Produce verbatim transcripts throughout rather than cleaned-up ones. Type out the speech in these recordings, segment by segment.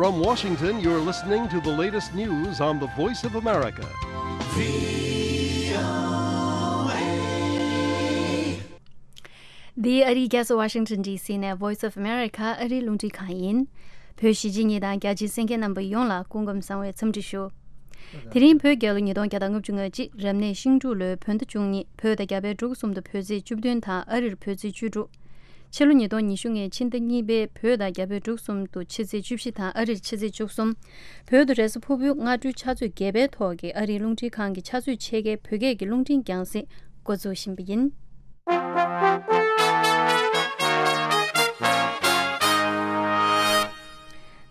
From Washington, you're listening to the latest news on the Voice of America. འདི་ཨ་རིའི་རྒྱལ་ས་Washington D C ནས་Voice of America ཨ་རིའི་རླུང་འཕྲིན་ཁང་ཡིན། བོད་གཞིས་བྱེས་གཉིས་དང་རྒྱ་ཆེའི་གསན་མཁན་རྣམ་པ་ཡོངས་ལ་སྐུ་ཁམས་བཟང་བའི་འཚམས་འདྲི་ཞུ། དེ་རིང་བོད་རྒྱལ་ལོ་ཉིས་སྟོང་བརྒྱ་དང་ལྔ་བཅུ་ང་གཅིག་རབ་གནས་ཤིང་འབྲུག་ལོའི་བོད་ཟླ་བཅུ་གཉིས། བོད་དང་རྒྱ་བལ་འབྲུག་གསུམ་དུ་བོད་ཚེས་བཅུ་བདུན་དང་ཨ་རིར་བོད་ཚེས་བཅུ་དྲུག་ཕྱི་ལོ་ཉིས་སྟོང་ཉི་ཤུ་ལྔའི་ཕྱི་ཟླ་གཉིས་པའི་བོད་དང་རྒྱ་བལ་འབྲུག་གསུམ་དུ་ཕྱི་ཚེས་བཅུ་བཞི་དང་ཨ་རིར་ཕྱི་ཚེས་བཅུ་གསུམ། བོད་དུ་རེས་གཟའ་ཕུར་བུའི་སྔ་དྲོའི་ཕྱག་ཚོད་བརྒྱད་པའི་ཐོག་གི་ཨ་རིའི་རླུང་འཕྲིན་ཁང་གི་ཕྱག་ཚོད་ཕྱེད་ཀའི་བོད་སྐད་ཀྱི་རླུང་འཕྲིན་རྒྱང་སྲིང་འགོ་འཛུགས་བཞིན་པ་ཡིན།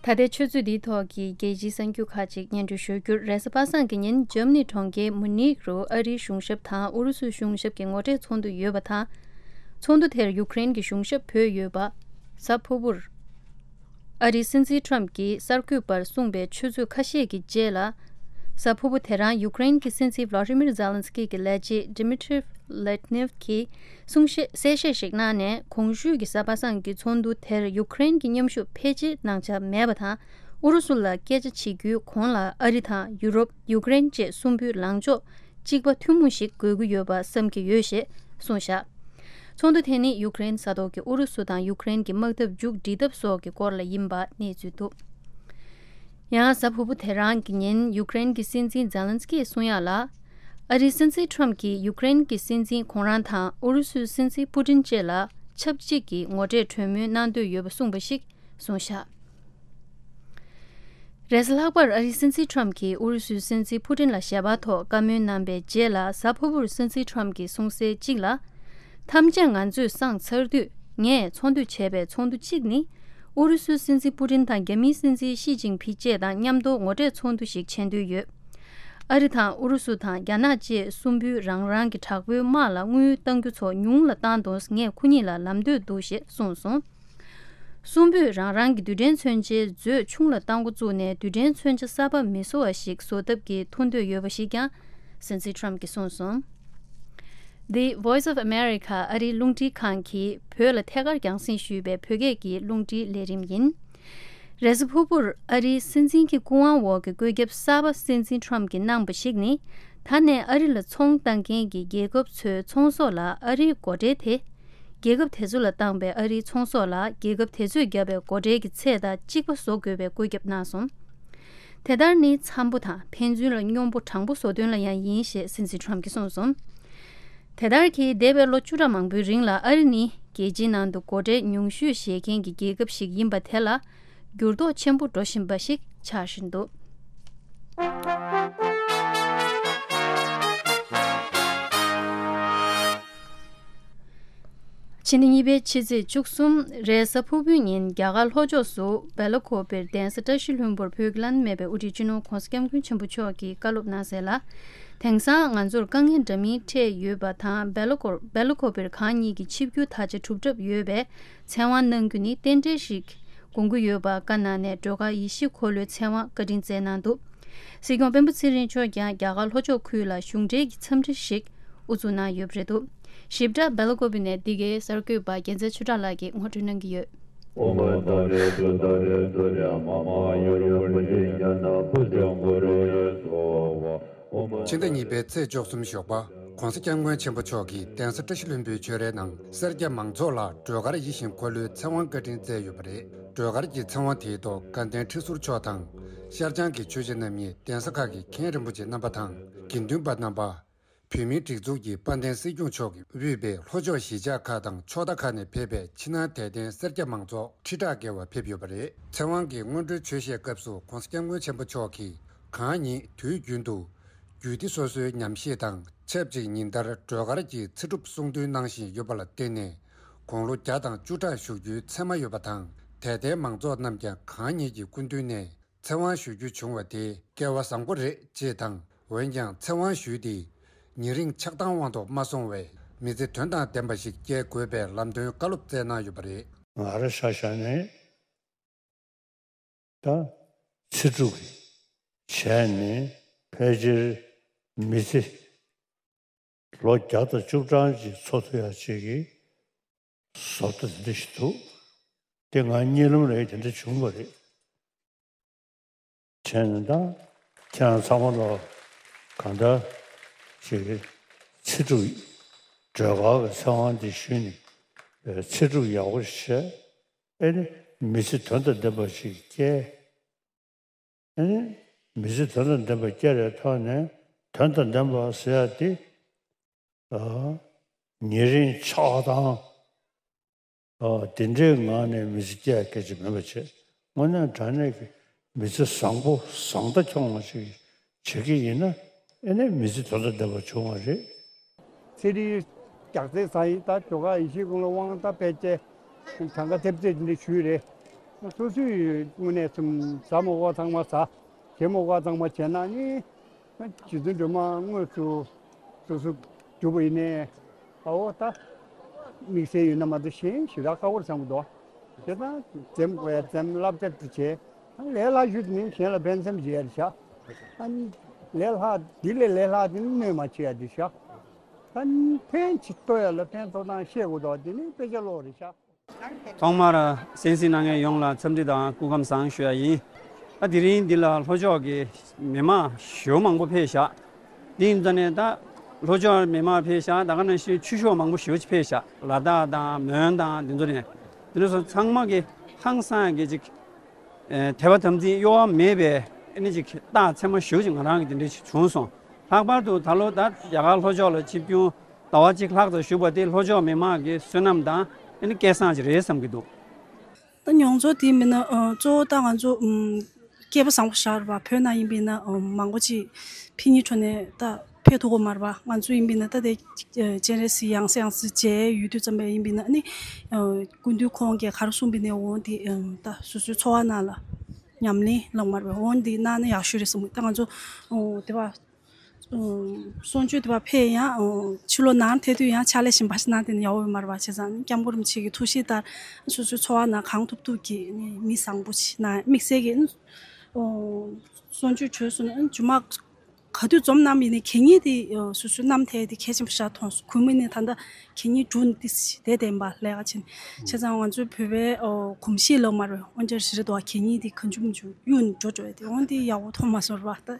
ད་ལྟའི་ཆུ་ཚོད་འདིའི་ཐོག་གི་རྒྱལ་སྤྱིའི་གསར་འགྱུར་ཁག་ཅིག་སྙན་སྒྲོན་ཞུ་རྒྱུར། རེས་གཟའ་པ་སངས་ཀྱི་ཉིན་འཇར་མ་ནི་གྲོང་ཁྱེར་མུ་ནིག་རུ་ཨ་རིའི་གཞུང་ཞབས་དང་ཨུ་རུ་སུའི་གཞུང་ཞབས་ཀྱི་ངོ་འཕྲད་ཚོགས་འདུ་ཡོད་པ་དང་། ཚོགས་འདུ་དེར་ཡུཀ་རེན་གྱི་གཞུང་ཞབས་བོད་ཡོད་པ། གཟའ་ཕུར་བུར། ཨ་རིའི་སྲིད་འཛིན་ཊམ་གྱིས་གསར་འགོད་པར་གསུངས་པའི་ཆུ་ཚོད་ཁ་ཤས་ཀྱི་རྗེས་ལ། གཟའ་ཕུར་བུ་དེ་རང་ཡུཀ་རེན་གྱི་སྲིད་འཛིན་ཝ་ལ་ཏི་མིར་ཛེ་ལན་སི་ཀི་གི་ལས་བྱེད་ཌི་མི་ཏྲི་ལེ་ཏི་ནེབ་ཀྱིས་གསུང་བཤད་གསལ་བཤད་ཞིག་གནང་ནས། གོང་ཞུས་ཀྱི་གཟའ་པ་སངས་ཀྱི་ཚོགས་འདུ་དེར་ཡུཀ་རེན་གྱི་མཉམ་ཞུགས་ཕལ་ཆེར་གནང་འཆར་མེད་པ་དང་། ཨུ་རུ་སུ་ལ་སྐད་ཆ་བྱེད་རྒྱུའི་གོང་ལ་ཨ་རི་དང་ཡུ་རོབ། ཡུཀ་རེན་བཅས་གསུམ་པོའི་ལངས་ཕྱོགས་གཅིག་པ་ཐུན་མོང་ཞིག་དགོས་ཀྱི་ཡོད་པ་བསམ་གྱི་ཡོད་ཞེས་གསུངས་བཞག་ཚོགས་འདུ་དེ་ནི་ཡུཀ་རེན་ས་ཐོག་གི་ཨུ་རུ་སུ་དང་ཡུཀ་རེན་གྱི་དམག་འཐབ་མཇུག་སྒྲིལ་ཐབས་སོགས་ཀྱི་སྐོར་ལ་ཡིན་པ་གནས་ཚུལ་འདུག་ཡང་གཟའ་ཕུར་བུ་དེ་རང་གི་ཉིན་ཡུཀ་རེན་གྱི་སྲིད་འཛིན་ཛེ་ལན་སི་ཀིས་གསུང་ཡག་ལ། ཨ་རིའི་སྲིད་འཛིན་ཊམ་གྱིས་ཡུཀ་རེན་གྱི་སྲིད་འཛིན་ཁོང་རང་དང་ཨུ་རུ་སུའི་སྲིད་འཛིན་པུ་ཏིན་བཅས་ལ་ཆབས་ཅིག་གི་ངོ་འཕྲད་གྲོས་མོལ་གནང་འདོད་ཡོད་པ་གསུངས་པ་ཞིག་གསུངས་བཞག་རེས་གཟའ་ལྷག་པར་ཨ་རིའི་སྲིད་འཛིན་ཊམ་གྱིས་ཨུ་རུ་སུའི་སྲིད་འཛིན་པུ་ཏིན་ལ་ཞལ་པར་ཐོག་བཀའ་མོལ་གནང་པའི་རྗེས་ལ། གཟའ་ཕུར་བུར་སྲིད་འཛིན་ཊམ་གྱིས་གསུངས་གསལ་གཅིག་ལ། ཐམས་ཅད་ང་ཚོས་སངས་ཚར་དུས། ངས་ཚོགས་འདུ་བྱས་པའི་ཚོགས་འདུ་གཅིག་ནི། ཨུ་རུ་སུའི་སྲིད་འཛིན་པུ་ཏིན་དང་རྒྱ་མིའི་སྲིད་འཛིན་ཞི་ཅིན་ཕིང་བཅས་དང་མཉམ་དུ་ངོ་འཕྲད་ཚོགས་འདུ་ཞིག་བྱེད་འདོད་ཡོད། ཨ་རི་དང་ཨུ་རུ་སུ་དང་རྒྱ་ནག་བཅས་གསུམ་པོས་རང་རང་གི་དྲག་པོའི་དམག་ལ་དངུལ་གཏང་རྒྱུ་ཚོ་ཉུང་ལ་བཏང་དོན། ངས་ཁོ་གཉིས་ལ་ལམ་སྟོན་འདུག་ཞེས་གསུངས་སོང་། གསུམ་པོས་རང་རང་གི་རྡུལ་ཕྲན་མཚོན་ཆའི་མཛོད་ཆུང་ལ་གཏང་འགོ་བཙུགས་ནས། རྡུལ་ཕྲན་མཚོན་ཆ་གསར་པ་མི་བཟོ་བ་ཞིག་བཟོ་ཐབས་ཀྱི་ཐུགས་འདོད་ཡོད་པ་ཞིག་ཀྱང་སྲིད་འཛིན་ཊམ་གྱིས་གསུངས་སོང་། The Voice of America ཨ་རིའི་རླུང་འཕྲིན་ཁང་གིས་བོད་ལ་ཐད་ཀར་རྒྱང་སྲིང་ཞུས་པའི་བོད་སྐད་ཀྱི་རླུང་འཕྲིན་ལས་རིམ་ཡིན། རེས་གཟའ་ཕུར་བུར་ཨ་རིའི་སྲིད་འཛིན་གྱི་སྐུ་དབང་འོག་གི་བཀོད་ཁྱབ་གསར་པ་སྲིད་འཛིན་ཊམ་གྱིས་གནང་པ་ཞིག་ནི། ད་ནས་ཨ་རི་ལ་ཚོང་བཏང་མཁན་གྱི་རྒྱལ་ཁབ་ཚོའི་ཚོང་ཟོག་ལ་ཨ་རིའི་སྒོ་ཁྲལ་དེ། རྒྱལ་ཁབ་དེ་ཚོ་ལ་བཏང་པའི་ཨ་རིའི་ཚོང་ཟོག་ལ་རྒྱལ་ཁབ་དེ་ཚོས་བརྒྱབ་པའི་སྒོ་ཁྲལ་གྱི་ཚད་དང་གཅིག་པ་བཟོ་དགོས་པའི་བཀོད་ཁྱབ་གནང་སོང་། དེ་ལྟར་ནི་འཚམ་པོ་དང་ཕན་ཚུན་ལ་སྙོམས་པོ་དྲང་པོ་བཟོ་དོན་ལ་ཡང་ཡིན་ཞེས་སྲིད་འཛིན་ཊམ་གྱིས་གསུངས་སོང་། དེ་ལྟར་གྱིས་འདས་པའི་ལོ་བཅུ་ཕྲག་མང་པོའི་རིང་ལ་ཨ་རི་ནི་རྒྱལ་སྤྱིའི་ནང་དུ་སྒོ་ཁྲལ་ཉུང་ཤོས་བཞེས་མཁན་གྱི་རྒྱལ་ཁབ་ཞིག་ཡིན་པ་དེ་ལ་འགྱུར་ལྡོག་ཆེན་པོ་འགྲོ་བཞིན་པ་ཞིག་ཆགས་བཞིན་འདུག་ཕྱི་ཟླ་གཉིས་པའི་ཕྱི་ཚེས་བཅུ་གསུམ་རེས་གཟའ་ཕུར་བུའི་ཉིན་རྒྱ་གར་ལྷོ་ཕྱོགས་སུ་སྦེ་ལ་ཀོ་པིར་གདན་ས་བཀྲ་ཤིས་ལྷུན་པོར་བོད་ཀྱི་བླ་ན་མེད་པའི་དབུ་ཁྲིད་སྤྱི་ནོར་༧གོང་ས་༧སྐྱབས་མགོན་ཆེན་པོ་མཆོག་གིས་བཀའ་སློབ་གནང་གསལ་ལ། དེང་སང་ང་ཚོར་དཀའ་ངལ་འདྲ་མིན་འཕྲད་ཡོད་པ་དང་། སྦེ་ལ་ཀོ་སྦེ་ལ་ཀོ་པིར་གང་ཉིད་ཀྱི་ཆིབས་བསྒྱུར་ད་ཆ་གྲུབ་གྲབས་ཡོད་པས། ཚེ་དབང་གནང་རྒྱུ་ནི་རྟེན་འབྲེལ་ཞིག་དགོངས་ཀྱི་ཡོད་པ་བཀའ་གནང་ནས། སྒྲོལ་དཀར་ཡེ་ཤེས་འཁོར་ལོའི་ཚེ་དབང་བཀའ་དྲིན་སྩལ་གནང་འདུག་སྲིད་སྐྱོང་སྤེན་པ་ཚེ་རིང་མཆོག་ཀྱང་རྒྱ་གར་ལྷོ་ཕྱོགས་ཁུལ་ལ་གཞུང་འབྲེལ་གྱི་འཚམས་འདྲི་ཞིག་དབུ་འཛུགས་གནང་ཡོད་པ་རེད་འདུག་ཞིབ་ཕྲ་སྦེ་ལ་ཀོ་པི་ནས་འདི་གའི་གསར་འགོད་པ་རྒྱལ་མཚན་ཆོས་གྲགས་ལགས་ཀྱིས་ངོ་སྤྲོད་གནང་གི་ཡོད། ཕྱི་ཟླ་གཉིས་པའི་ཚེས་བཅུ་གསུམ་ཞོགས་པ། ྋགོང་ས་ྋསྐྱབས་མགོན་ཆེན་པོ་མཆོག་གིས་གདན་ས་བཀྲ་ཤིས་ལྷུན་པོའི་ཆོས་རའི་ནང་སེར་སྐྱ་མང་ཚོགས་ལ་སྒྲོལ་དཀར་ཡིད་བཞིན་འཁོར་ལོའི་ཚེ་དབང་བཀའ་དྲིན་སྩལ་ཡོད་པ་རེད། སྒྲོལ་དཀར་གྱི་ཚེ་དབང་དེའི་ཐོག་དགའ་ལྡན་ཁྲི་ཟུར་མཆོག་དང་། ཤར་བྱང་གི་ཆོས་བྱེད་རྣམ་གཉིས། གདན་ས་ཁག་གི་མཁན་རིན་པོ་ཆེ་རྣམ་པ་དང་། དགེ་འདུན་པ་རྣམ་པ། བོད་མིའི་སྒྲིག་འཛུགས་ཀྱི་དཔལ་ལྡན་སྲིད་སྐྱོང་མཆོག་གིས་དབུས་པའི་ལྷོ་ཕྱོགས་གཞིས་ཆགས་ཁག་དང་ཕྱོགས་མཐའ་ཁག་ནས་ཕེབས་པའི་ཕྱི་ནང་དད་ལྡན་སེར་སྐྱ་མང་ཚོགས་ཁྲི་ཕྲག་བརྒལ་བ་ཕེབས་ཡོད་པ་རེད། ཚེ་དབང་གི་སྔོན་འགྲོའི་ཆོས་བཤད་སྐབས་སུ་ྋགོང་ས་ྋསྐྱབས་མགོན་ཆེན་པོ་མཆོག་གིས་གང་ཉིད་དུས་རྒྱུན་དུ་རྒྱུད་སྡེ་སོ་སོའི་ཉམས་བཞེས་དང་ཆབས་ཅིག་ཉིན་ལྟར་སྒྲོལ་དཀར་གྱི་ཚེ་སྒྲུབ་གསུང་འདོན་གནང་བཞིན་ཡོད་པ་ལ་བརྟེན་ནས། དགུང་ལོ་བརྒྱ་དང་བཅུ་ཕྲག་བཞུགས་རྒྱུའི་མཚན་མ་ཡོད་པ་དང་། དད་ལྡན་མང་ཚོགས་རྣམས་ཀྱང་གང་ཉིད་ཀྱི་སྐུ་མདུན་ནས་ཚེ་དབང་ཞུ་རྒྱུ་བྱུང་བ་དེ་སྐལ་བ་བཟང་པོ་རེད་ཅེས་དང་། འོན་ཀྱང་ཚེ་དབང་ཞུས་ཏེ་ཉེ་རིང་ཆགས་སྡང་དབང་དུ་མ་སོང་བའི་མི་ཚེ་དོན་དང་ལྡན་པ་ཞིག་སྐྱེལ་དགོས་པའི་ལམ་སྟོན་བཀའ་སློབ་སྩལ་གནང་ཡོད་པ་རེད། ང་རང་ཆ་བཞག་ནས་ད་ཚེ་སྒྲུབ་ཀྱི་བྱས་ནས་ཕལ་ཆེར་མི་ཚེ་ལོ་བརྒྱ་དང་བཅུ་གྲངས་ཅིག་འཚོ་ཐུབ་ཡ་ཅིག་གི་བཟོ་ལྟ་དེ་འདྲ་ཞིག་འདུག་དེ་ང་གཉིད་ལམ་རེད། དེ་འདྲ་བྱུང་བ་རེད། དེ་ནི་ད་ཁྱེད་རང་ཚང་མ་ལ་གང་ལྟར་ཅིག་ཚེ་སྒྲུབ་སྒྲོལ་དཀར་གྱི་ཚེ་དབང་འདི་ཞུས་ནས་ཚེ་སྒྲུབ་ཡག་པོ་ཞིག་བྱས། ཨེ་ནི་མི་ཚེ་དོན་དང་ལྡན་པ་ཞིག་སྐྱེལ། ཨེ་ནི་མི་ཚེ་དོན་དང་ལྡན་པ་སྐྱེལ་བའི་ཐོག་ནས་དོན་དང་ལྡན་པ་ཟེར་ཡ་དེ། ཨ། ཉེ་རིང་ཆགས་སྡང་། ཨ། དེ་འདྲའི་ངང་ནས་མི་ཚེ་སྐྱེལ་ཡ་སྐད་ཆ་མིན་པ་བྱས། དངོས་གནས་དྲང་གནས་ཀྱི་མི་ཚེ་བཟང་པོ་བཟང་ལྟ་འཁྱོངས་པ་ཞིག་བྱེད་ཀྱི་ཡིན་ན། ཨེ་ནས་མི་ཚེ་དོན་དང་ལྡན་པ་བྱུང་བ་རེད། ཚེ་རིང་རྒྱགས་ཚད་ཟ་ཡིན། ད་ཇོ་ཁ་ཡེ་ཤེས་ཀུན་ལ་དབང་ད་ཕལ་ཆེར་གྲངས་ཀ་ཐེབས་ཚད་དེ་འདྲ་ཞུས་རེད། སོ་སོའི་དངོས་གནས་སེམས་ཟ་མ་དགོས་ཚང་མ་ཟ། བྱེད་མ་དགོས་ཚང་མ་བྱས་ན་ནི། རྗེ་བཙུན་སྒྲོལ་མ་དངོས་སུ་སོ་སོ་རྒྱུ་བ་ཡིན་ནའི། ཨའོ་ད། དམིགས་བསལ་ཡོད་ན་མ་གཏོགས་གཞན་ཞེ་དྲག་ཁག་པོར་བསམ་གྱི་འདུག་དེ་དང་འཛེམ་དགོས་ཡ་འཛེམ་བསླབ་བྱ་དེ་བྱས། ལས་སླ་ཤོས་དེ་ནི་གཞན་ལ་ཕན་སེམས་བྱེད་ཡ་རེད་ཤག་ཨ་ནི་ལས་སླ་འདི་ལས་ལས་སླ་དེ་ནི་གནོད་མ་བྱེད་ཡ་དེ་ཤག་ཨ་ནི་ཕན་ཅིག་ཐོགས་ཡ་ལ་ཕན་ཐོགས་སྟངས་ཤེས་དགོས་འདུག་དེ་ནི་དཔེ་ཆ་ཀློག་རེད་ཤག་ཐོག་མར་གསན་གཟིགས་གནང་མཁན་ཡོངས་ལ་འཚམས་འདྲི་དང་སྐུ་ཁམས་བཟང་ཞུ་ཡ་ཡིན། ད་དེ་རིང་འདི་ལ་ལྷོ་ཕྱོགས་ཀྱི་མི་མང་ཞེ་པོ་མང་པོ་ཕེབས་ཤག་འདི་ཡིན་ཙང་ནས་ད་ལྷོ་ཕྱོགས་མི་མང་ཕེབས་ཤག་ད་ག་ནང་བཞིན་ཆོས་ཕྱོགས་མང་པོ་ཞེ་པོ་ཅིག་ཕེབས་ཤག་ལ་དྭགས་དང་མོན་དང་འདི་ཚོ་ནས། འདི་ཚོ་ཚང་མ་གི་ཧང་སང་གི་ཅིག་ཨེ། དད་པ་དམ་ཚིག་གཡོ་བ་མེད་པའི་ཨ་ནི་ཅིག་རྟགས་མཚན་མ་ཞེ་པོ་ཅིག་ང་རང་གི་འདི་འདྲ་ཞིག་བྱུང་སོང་། ལྷག་པར་དུ་ད་ལོ་ད་རྒྱ་གར་ལྷོ་ཕྱོགས་ལ་ཆིབས་བསྒྱུར་ཟླ་བ་གཅིག་ལྷག་ཙམ་བཞུགས་པ་དེ་ལྷོ་ཕྱོགས་མི་མང་གི་བསོད་ནམས་དང་ཨ་ནི་སྐལ་བཟང་ཅིག་རེད་བསམ་གྱི་འདུག་ད་མྱོང་ཚོར་དེ་མིན་ན། ཨ། གཙོ་བོ་ད་ང་ཚོ་ཨམ། སྐལ་པ་བཟང་པོ་ཞིག་རེད་པ། བོད་ནང་ཡིན་པས་ན། ཨམ། མང་པོ་ཅིག་ཕྱི་ཉིན་འཕྲོ་ནས་ད་ཕེབས་ཐུབ་ཀྱི་མ་རེད་པ། ང་ཚོ་ཡིན་པས་ན་ད་དེ་ཨ། སྤྱན་རས་གཟིགས་ཡང་སེ་ཡང་སེ་མཇལ་ཡོང་དུས་ཙམ་པ་ཡིན་པས་ན་ནི། ཨ། སྐུ་མདུན་ཁོང་གིས་ག་རེ་གསུངས་པ་ཡིན་ནའི་འོ་དེ། ཨམ། ད་སོ་སོའི་འཚོ་བ་ནང་ལ་ཉམས་ལེན་ལབ་མ་རེད་པ། འོ་དེ་གནང་ན་ཡག་ཤོས་རེད་བསམ་གི། ད་ང་ཚོ་ཨོ་དེ་པ། ཨོ། གསུང་ཆོས་དེ་པ་ཕེབས་ཡང་། ཨོ། ཕྱི་ལོགས་ནང་ཐལ་དུས་ཡང་ཕྱག་ལས་གཞན་པ་ཞིག་གནང་དེ་ནི་ཡག་པོ་ཡོད་མ་རེད་པ། བྱས་ཙང་སྐྱབས་མགོན་རིན་པོ་ཆེ་གི་ཐུགས་བཞེད་ལྟར་སོ་སོའི་འཚོ་བ་ནང་གང་ཐུབ་ཐུབ་ཀྱིས་ནི་མི་བཟང་པོ་ཞིག་ན་དམིགས་བསལ་གྱི། ཨོ། གསུང་ཆོས་བྱོས་སོང་ན་མཇུག་མ་ག་དུས་འཛོམས་གནང་ཡིན་ནའི་གད་སྙིགས་དེ། ཨོ། སོ་སོའི་རྣམ་ཐར་དེ་གལ་ཆེན་པོ་ཞིག་མཐོང་སོང་། གུས་མོ་ནི་ད་ལྟ་གད་སྙིགས་འབྲུ་ནི་ཏི་སི་དེ་བསྟན་པ་ལས་ཀ་ཆེན། བྱས་ཙང་ང་ཚོའི་བོད་པའི། ཨོ། གོམས་གཤིས་ལབ་མ་རེད། འོན་ཀྱང་རེ་རེ་དོ་གད་སྙིགས་དེ་གང་བྱུང་མི་བྱུང་གཡུག་ནས་འགྲོ་འགྲོ་ཡ་དེ་འོན་ཏེ་ཡག་པོ་མཐོང་མ་སོང་ར་བ། ད་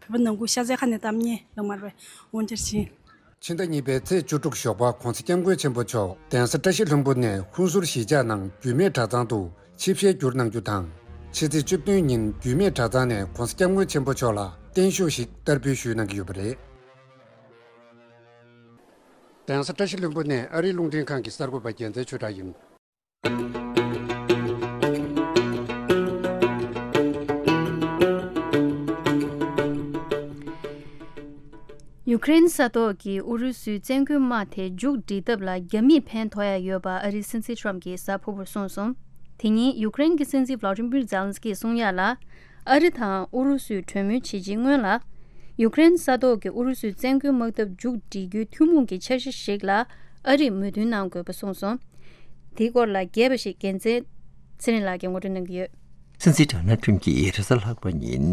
བོད་པ་ནང་ཁུལ་ཤ་ཚའི་ཁ་ནས་གཏམ་ཉེ་ལབ་མ་རེད། འོན་ཀྱང་ཕྱིན། ཕྱི་ཟླ་གཉིས་པའི་ཚེས་བཅུ་དྲུག་ཞོགས་པ་༸གོང་ས་༸སྐྱབས་མགོན་ཆེན་པོ་མཆོག་གདན་ས་བཀྲ་ཤིས་ལྷུན་པོ་ནས་ཧུན་སུར་གཞིས་ཆགས་ནང་རྒྱུད་སྨད་གྲྭ་ཚང་དུ་ཆིབས་ཞལ་བསྒྱུར་གནང་རྒྱུ་དང་། ཕྱི་ཚེས་བཅུ་བདུན་ཉིན་རྒྱུད་སྨད་གྲྭ་ཚང་ནས་༸གོང་ས་༸སྐྱབས་མགོན་ཆེན་པོ་མཆོག་ལ་བརྟན་བཞུགས་ཤིག་བསྟར་འབུལ་ཞུས་གནང་གི་ཡོད་པ་རེད། གདན་ས་བཀྲ་ཤིས་ལྷུན་པོ་ནས་ཨ་རིའི་རླུང་འཕྲིན་ཁང་གི་གསར་འགོད་པ་རྒྱལ་མཚན་ཆོས་གྲགས་ཡིན། ཡུ་ཀེ་རེན་ས་ཐོག་གི་ཨུ་རུ་སུའི་བཙན་རྒོལ་དམག་དེ་མཇུག་སྒྲིལ་ཐབས་ལ་རྒྱ་མིས་ཕན་ཐོགས་ཡ་ཡོད་པ་ཨ་རིའི་སྲིད་འཛིན་ཊམ་གྱིས་གཟའ་ཕུར་བུར་གསུངས་སོང་། དེ་ཉིན་ཡུ་ཀེ་རེན་གྱི་སྲིད་འཛིན་ཝ་ལ་ཏི་མིར་ཛེ་ལན་སི་ཀིས་གསུང་ཡ་ལ། ཨ་རི་དང་ཨུ་རུ་སུས་གྲོས་མོལ་བྱེད་རྗེས་སྔོན་ལ། ཡུ་ཀེ་རེན་ས་ཐོག་གི་ཨུ་རུ་སུའི་བཙན་རྒོལ་དམག་འཐབ་མཇུག་སྒྲིལ་རྒྱུའི་ཐུན་མོང་གི་འཆར་གཞི་ཞིག་ལ་ཨ་རིས་མོས་མཐུན་གནང་དགོས་པ་གསུངས་སོང་། དེའི་སྐོར་ལ་རྒྱས་པ་ཞིག་རྒྱལ་མཚན་ཚེ་རིང་ལགས་ཀྱིས་ངོ་སྤྲོད་གནང་གི་ཡོད། སྲིད་འཛིན་ཌོ་ནལ་ཊམ་གྱིས་རེས་གཟའ་ལྷག་པ་ཉིན་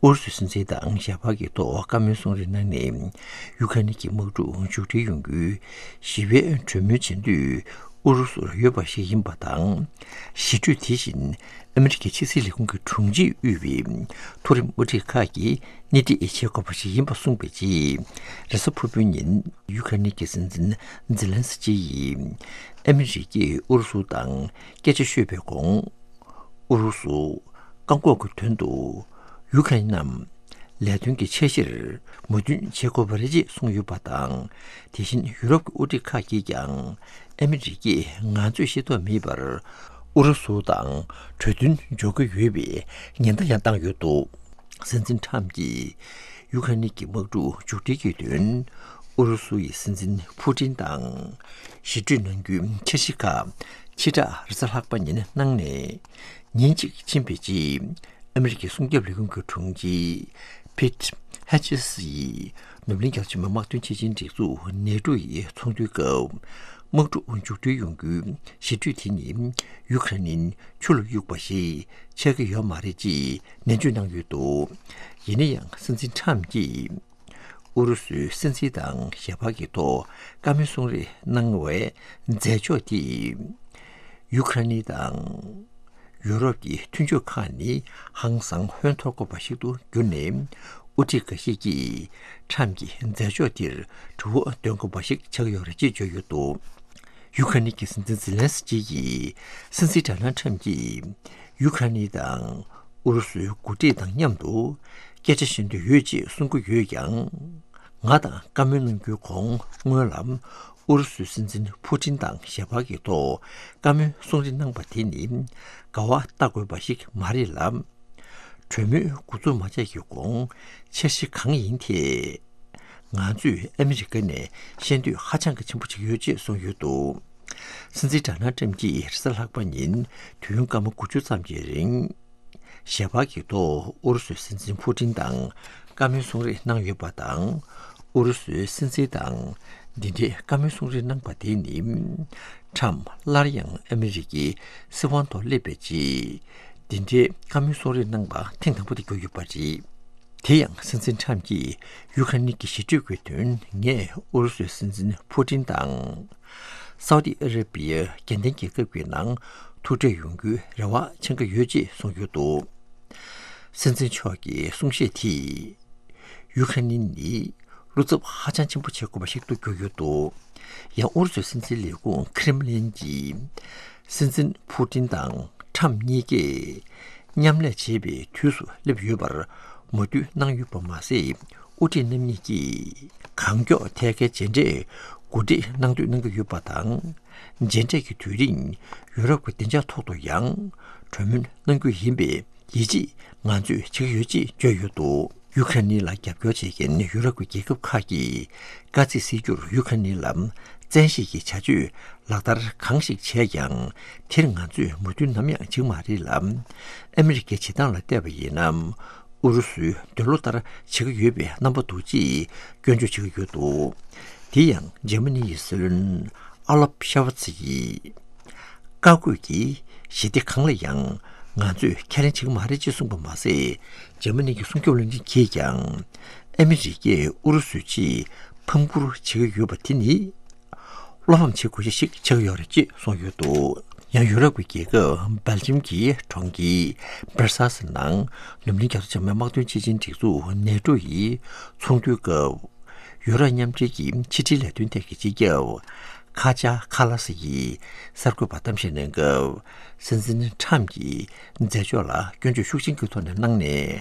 ཨུ་རུ་སུའི་སྲིད་འཛིན་དང་ཞལ་པར་གྱི་ཐོག་བཀའ་མོལ་གསུང་རེས་གནང་ནས། ཡུ་ཀེ་རེན་གྱི་དམག་འཁྲུག་མཇུག་སྒྲིལ་ཡོང་རྒྱུའི་ཞི་བའི་གྲོས་མོལ་བྱེད་འདོད་ཨུ་རུ་སུར་ཡོད་པ་ཞིག་ཡིན་པ་དང་། ཞི་གྲོས་དེ་བཞིན་ཨ་མི་རི་ཀའི་ཕྱི་སྲིད་ལས་ཁུངས་ཀྱི་དྲུང་ཆེས་དབུས་པའི་མཐོ་རིམ་དབུ་ཁྲིད་ཁག་གིས་སྣེ་ཁྲིད་བྱེད་དགོས་པ་ཞིག་ཡིན་པ་གསུངས་པའི་རྗེས། རེས་གཟའ་ཕུར་བུའི་ཉིན་ཡུ་ཀེ་རེན་གྱི་སྲིད་འཛིན་ཛེ་ལན་སི་ཀི་ཡིས་ཨ་མི་རི་ཀས་ཨུ་རུ་སུ་དང་སྐད་ཆ་ཤོད་པའི་གོང་། ཨུ་རུ་སུ་བཀག་འགོག་གི་དོན་དུ་ཡུ་ཀེ་རེན་རྣམས་ལས་དོན་གྱི་འཆར་གཞིར་མོས་མཐུན་བྱེད་དགོས་པ་རེད་ཅེས་གསུངས་ཡོད་པ་དང་། དེ་བཞིན་ཡུ་རོབ་ཀྱི་དབུ་ཁྲིད་ཁག་གིས་ཀྱང་ཨ་མི་རི་ཀས་ང་ཚོས་ཤེས་རྟོགས་མེད་པར་ཨུ་རུ་སུ་དང་གྲོས་མཐུན་འཇོག་གི་ཡོད་པའི་ཉེན་བརྡ་ཡང་བཏང་ཡོད་འདུག་སྲིད་འཛིན་ཁྲམ་གྱིས་ཡུ་ཀེ་རེན་གྱི་དམག་འཁྲུག་མཇུག་སྒྲིལ་གྱི་དོན་ཨུ་རུ་སུ་ཡི་སྲིད་འཛིན་ཕུ་ཏིན་དང་ཞི་གྲོས་གནང་རྒྱུའི་འཆར་གཞི་ཁག་ཕྱི་དྲགས་རེས་གཟའ་ལྷག་པ་ཉིན་གནང་ནས། ཉིན་གཅིག་ཕྱིན་པའི་རྗེས་ཨ་མི་རི་ཀའི་སྲུང་སྐྱོབ་ལས་ཁུངས་ཀྱི་དྲུང་ཆེ་ཕིད་ཧེ་ཆེས་ཡིས་ནུབ་གླིང་རྒྱལ་སྤྱིའི་མི་དམངས་དོན་ཆེད་ཆེད་སྒྲིག་འཛུགས་ནེ་ཊོ་ཡི་ཚོགས་འདུའི་སྐབས། དམག་འཁྲུག་མཇུག་སྒྲིལ་ཡོང་རྒྱུའི་ཞི་གྲོས་དེ་ནི་ཡུ་ཀེ་རེན་ཆུ་ལ་གཡུགས་པ་ཞིག་ཆགས་ཀྱི་ཡོད་མ་རེད་ཅེས་ནན་བརྗོད་གནང་ཡོད་འདུག་ཡིན་ན་ཡང་སྲིད་འཛིན་ཁྲམ་གྱིས། ཨུ་རུ་སུའི་སྲིད་འཛིན་དང་ཞལ་པར་གྱི་ཐོག་བཀའ་མོལ་གསུང་རེས་གནང་བའི་མཛད་ཕྱོགས་དེས། ཡུ་ཀེ་རེན་དང་ ཡུ་རོབ་ཀྱི་མཐུན་ཕྱོགས་ཁག་ནི་ཧང་སང་ཧོན་འཐོར་དགོས་པ་ཞིག་ཏུ་གྱུར་ནས། དབུ་ཁྲིད་འགའ་ཤས་ཀྱིས་ཁྲམ་གྱི་མཛད་ཕྱོགས་འདིར་གྲུ་བོ་འདོན་དགོས་པ་ཞིག་ཆགས་ཡོད་རེད་ཅེས་བརྗོད་ཡོད་འདུག་ཡུ་ཁ་ནི་གི་སྲིད་འཛིན་ཛེ་ལན་སི་ཀི་ཡིས་སྲིད་འཛིན་ཌོ་ནལ་ཁྲམ་གྱིས་ཡུ་ཁ་ནི་དང་ཨུ་རུ་སུའི་འགོ་ཁྲིད་དང་མཉམ་དུ་སྐད་ཆ་བཤད་འདོད་ཡོད་ཅེས་གསུང་གི་ཡོད་ཀྱང་། ང་དང་བཀའ་མོལ་གནང་རྒྱུའི་གོང་སྔོན་ལ་ཨུ་རུ་སུའི་སྲིད་འཛིན་ཕུ་ཏིན་དང་ཞལ་པར་གྱི་ཐོག་བཀའ་མོལ་གསུང་རེ་གནང་པ་དེ་ནི་དགའ་བ་བལྟ་དགོས་པ་ཞིག་མ་རེད་ལ། གྲོས་མོལ་འགོ་འཛུགས་མ་བྱས་ཀྱི་གོང་འཆར་གཞི་གང་ཡིན་ཐད། ང་ཚོས་ཨ་མི་རི་ཀ་ནས་ཤེས་འདོད་ཧ་ཅང་གི་ཆེན་པོ་ཅིག་ཡོད་ཅེས་གསུངས་ཡོད་འདུག་སྲིད་འཛིན་ཌོ་ནལ་ཁྲམ་གྱིས་རེས་གཟའ་ལྷག་པ་ཉིན་དུས་ཡུན་སྐར་མ་དགུ་བཅུ་ཙམ་གྱི་རིང་། ཞལ་པར་གྱི་ཐོག་ཨུ་རུ་སུའི་སྲིད་འཛིན་ཕུ་ཏིན་དང་བཀའ་མོལ་གསུང་རེས་གནང་ཡོད་པ་དང་། ཨུ་རུ་སུའི་སྲིད་འཛིན་དང་འདི་འདྲའི་བཀའ་མོལ་གསུང་རེས་གནང་པ་དེ་ནི། ཁྲམ་སླར་ཡང་ཨ་མི་རི་ཀའི་སྲིད་དབང་ཐོག་སླེབས་པའི་རྗེས། འདི་འདྲའི་བཀའ་མོལ་གསུང་རེས་གནང་པ་ཐེངས་དང་པོ་དེ་གྱུར་ཡོད་པ་རེད། དེ་ཡང་སྲིད་འཛིན་ཁྲམ་གྱིས་ཡུ་ཁ་ནི་གི་ཞི་གྲོས་ཀྱི་དོན་ངས་ཨུ་རུ་སུའི་སྲིད་འཛིན་ཕུ་ཏིན་དང་། སའུ་ཏི་ཨ་ར་པི་ཡ་རྒྱལ་ལྡན་རྒྱལ་ཁབ་ཀྱི་ནང་ཐུག་འཕྲད་ཡོང་རྒྱུའི་རེ་བ་འཆང་གི་ཡོད་ཅེས་གསུངས་ཡོད་འདུག་སྲིད་འཛིན་མཆོག་གི་གསུང་བཤད་དེས། ཡུ་ཁ་ནི་ནི་བློ་འཚབ་ཧ་ཅང་ཆེན་པོ་བྱེད་དགོས་པ་ཞིག་ཏུ་གྱུར་ཡོད་འདུག་ཡང་ཨུ་རུ་སུའི་སྲིད་འཛིན་ལས་ཁུངས་ཁྲེམ་ལིན་གྱིས། སྲིད་འཛིན་ཕུ་ཏིན་དང་ཁྲམ་གཉིས་ཀས་མཉམ་ལས་བྱེད་པའི་དུས་སུ་སླེབས་ཡོད་པར་མོས་མཐུན་གནང་ཡོད་པ་མ་ཟད། དབུ་ཁྲིད་རྣམ་གཉིས་ཀྱིས་གང་མགྱོགས་ཐད་ཀའི་མཇལ་འཕྲད་གོ་སྒྲིག་གནང་འདོད་གནང་གི་ཡོད་པ་དང་། མཇལ་འཕྲད་ཀྱི་དུས་རིང་ཡུ་རོབ་ཀྱི་བདེ་འཇགས་ཐོག་ཏུ་ཡང་གྲོས་མོལ་གནང་རྒྱུ་ཡིན་པས། ཡིད་ཆེས་ང་ཚོས་བྱེད་ཀྱི་ཡོད་ཅེས་བརྗོད་ཡོད་འདུག་ཡུ་ཁ་ནི་ལ་རྒྱབ་སྐྱོར་བྱེད་མཁན་ཡུ་རོབ་ཀྱི་རྒྱལ་ཁབ་ཁག་གིས་དཀའ་ཚེགས་སེལ་རྒྱུར་ཡུ་ཁ་ནི་ལ་བཙན་ཤེད་ཀྱི་བྱ་སྤྱོད་ལག་བསྟར་གང་ཞིག་བྱས་ཀྱང་། དེར་ང་ཚོས་མོས་མཐུན་ནམ་ཡང་བྱེད་ཀྱི་མ་རེད་ལ། ཨ་མི་རི་ཀའི་བྱེད་སྟངས་ལ་བལྟས་པ་ཡིན་ན། ཨུ་རུ་སུའི་འདོད་བློ་ལྟར་བྱེད་ཀྱི་ཡོད་པའི་རྣམ་པ་འདུག་ཅེས་སྐྱོན་བརྗོད་བྱེད་ཀྱི་ཡོད་འདུག་དེ་ཡང་འཇར་མ་ནི་ཡི་སྲིད་བློན་ཨ་ལབ་ཤ་ཝ་ཚི་ཡིས། བཀའ་བཀོད་ཀྱི་ཞི་བདེ་གང་ལ་ཡང་ང་ཚོས་ཁས་ལེན་བྱེད་ཀྱི་མ་རེད་ཅེས་གསུངས་པ་མ་ཟད། འཇར་མ་ནི་གི་སྲུང་སྐྱོབ་བློན་ཆེན་གྱིས་ཀྱང་། ཨ་མི་རི་ཀས་ཨུ་རུ་སུའི་ཆེད་ཕམ་བསྐུར་བྱེད་ཀྱི་ཡོད་པ་དེ་ནི། བློ་ཕམ་བྱེད་དགོས་ཆ་ཞིག་ཆགས་ཡོད་རེད་ཅེས་གསུངས་ཡོད་འདུག་ཡང་ཡུ་རོབ་ཀྱི་རྒྱལ་ཁབ་སྦེལ་ཇམ་གྱི་གྲོང་ཁྱེར་སྦར་སལ་སི་ནང་འཛམ་གླིང་རྒྱལ་ཚོགས་འཆམ་མཐུན་དམག་དོན་སྤྱི་ཆིངས་སྒྲིག་འཛུགས་ནེ་ཊོ་ཡི་ཚོགས་འདུའི་སྐབས། ཡུ་རོབ་མཉམ་འབྲེལ་གྱི་ཕྱི་འབྲེལ་ལས་དོན་ཐད་ཀྱི་སྤྱི་ཁྱབ་ཁ་ཇ་ཁ་ལ་སི་ཡིས་གསར་འགོད་པར་གཏམ་བཤད་གནང་སྐབས། སྲིད་འཛིན་ཁྲམ་གྱིས་མཛད་ཕྱོགས་ལ་སྐྱོན་བརྗོད་ཤུགས་ཆེན་གྱི་ཐོག་ནས་གནང་ནས།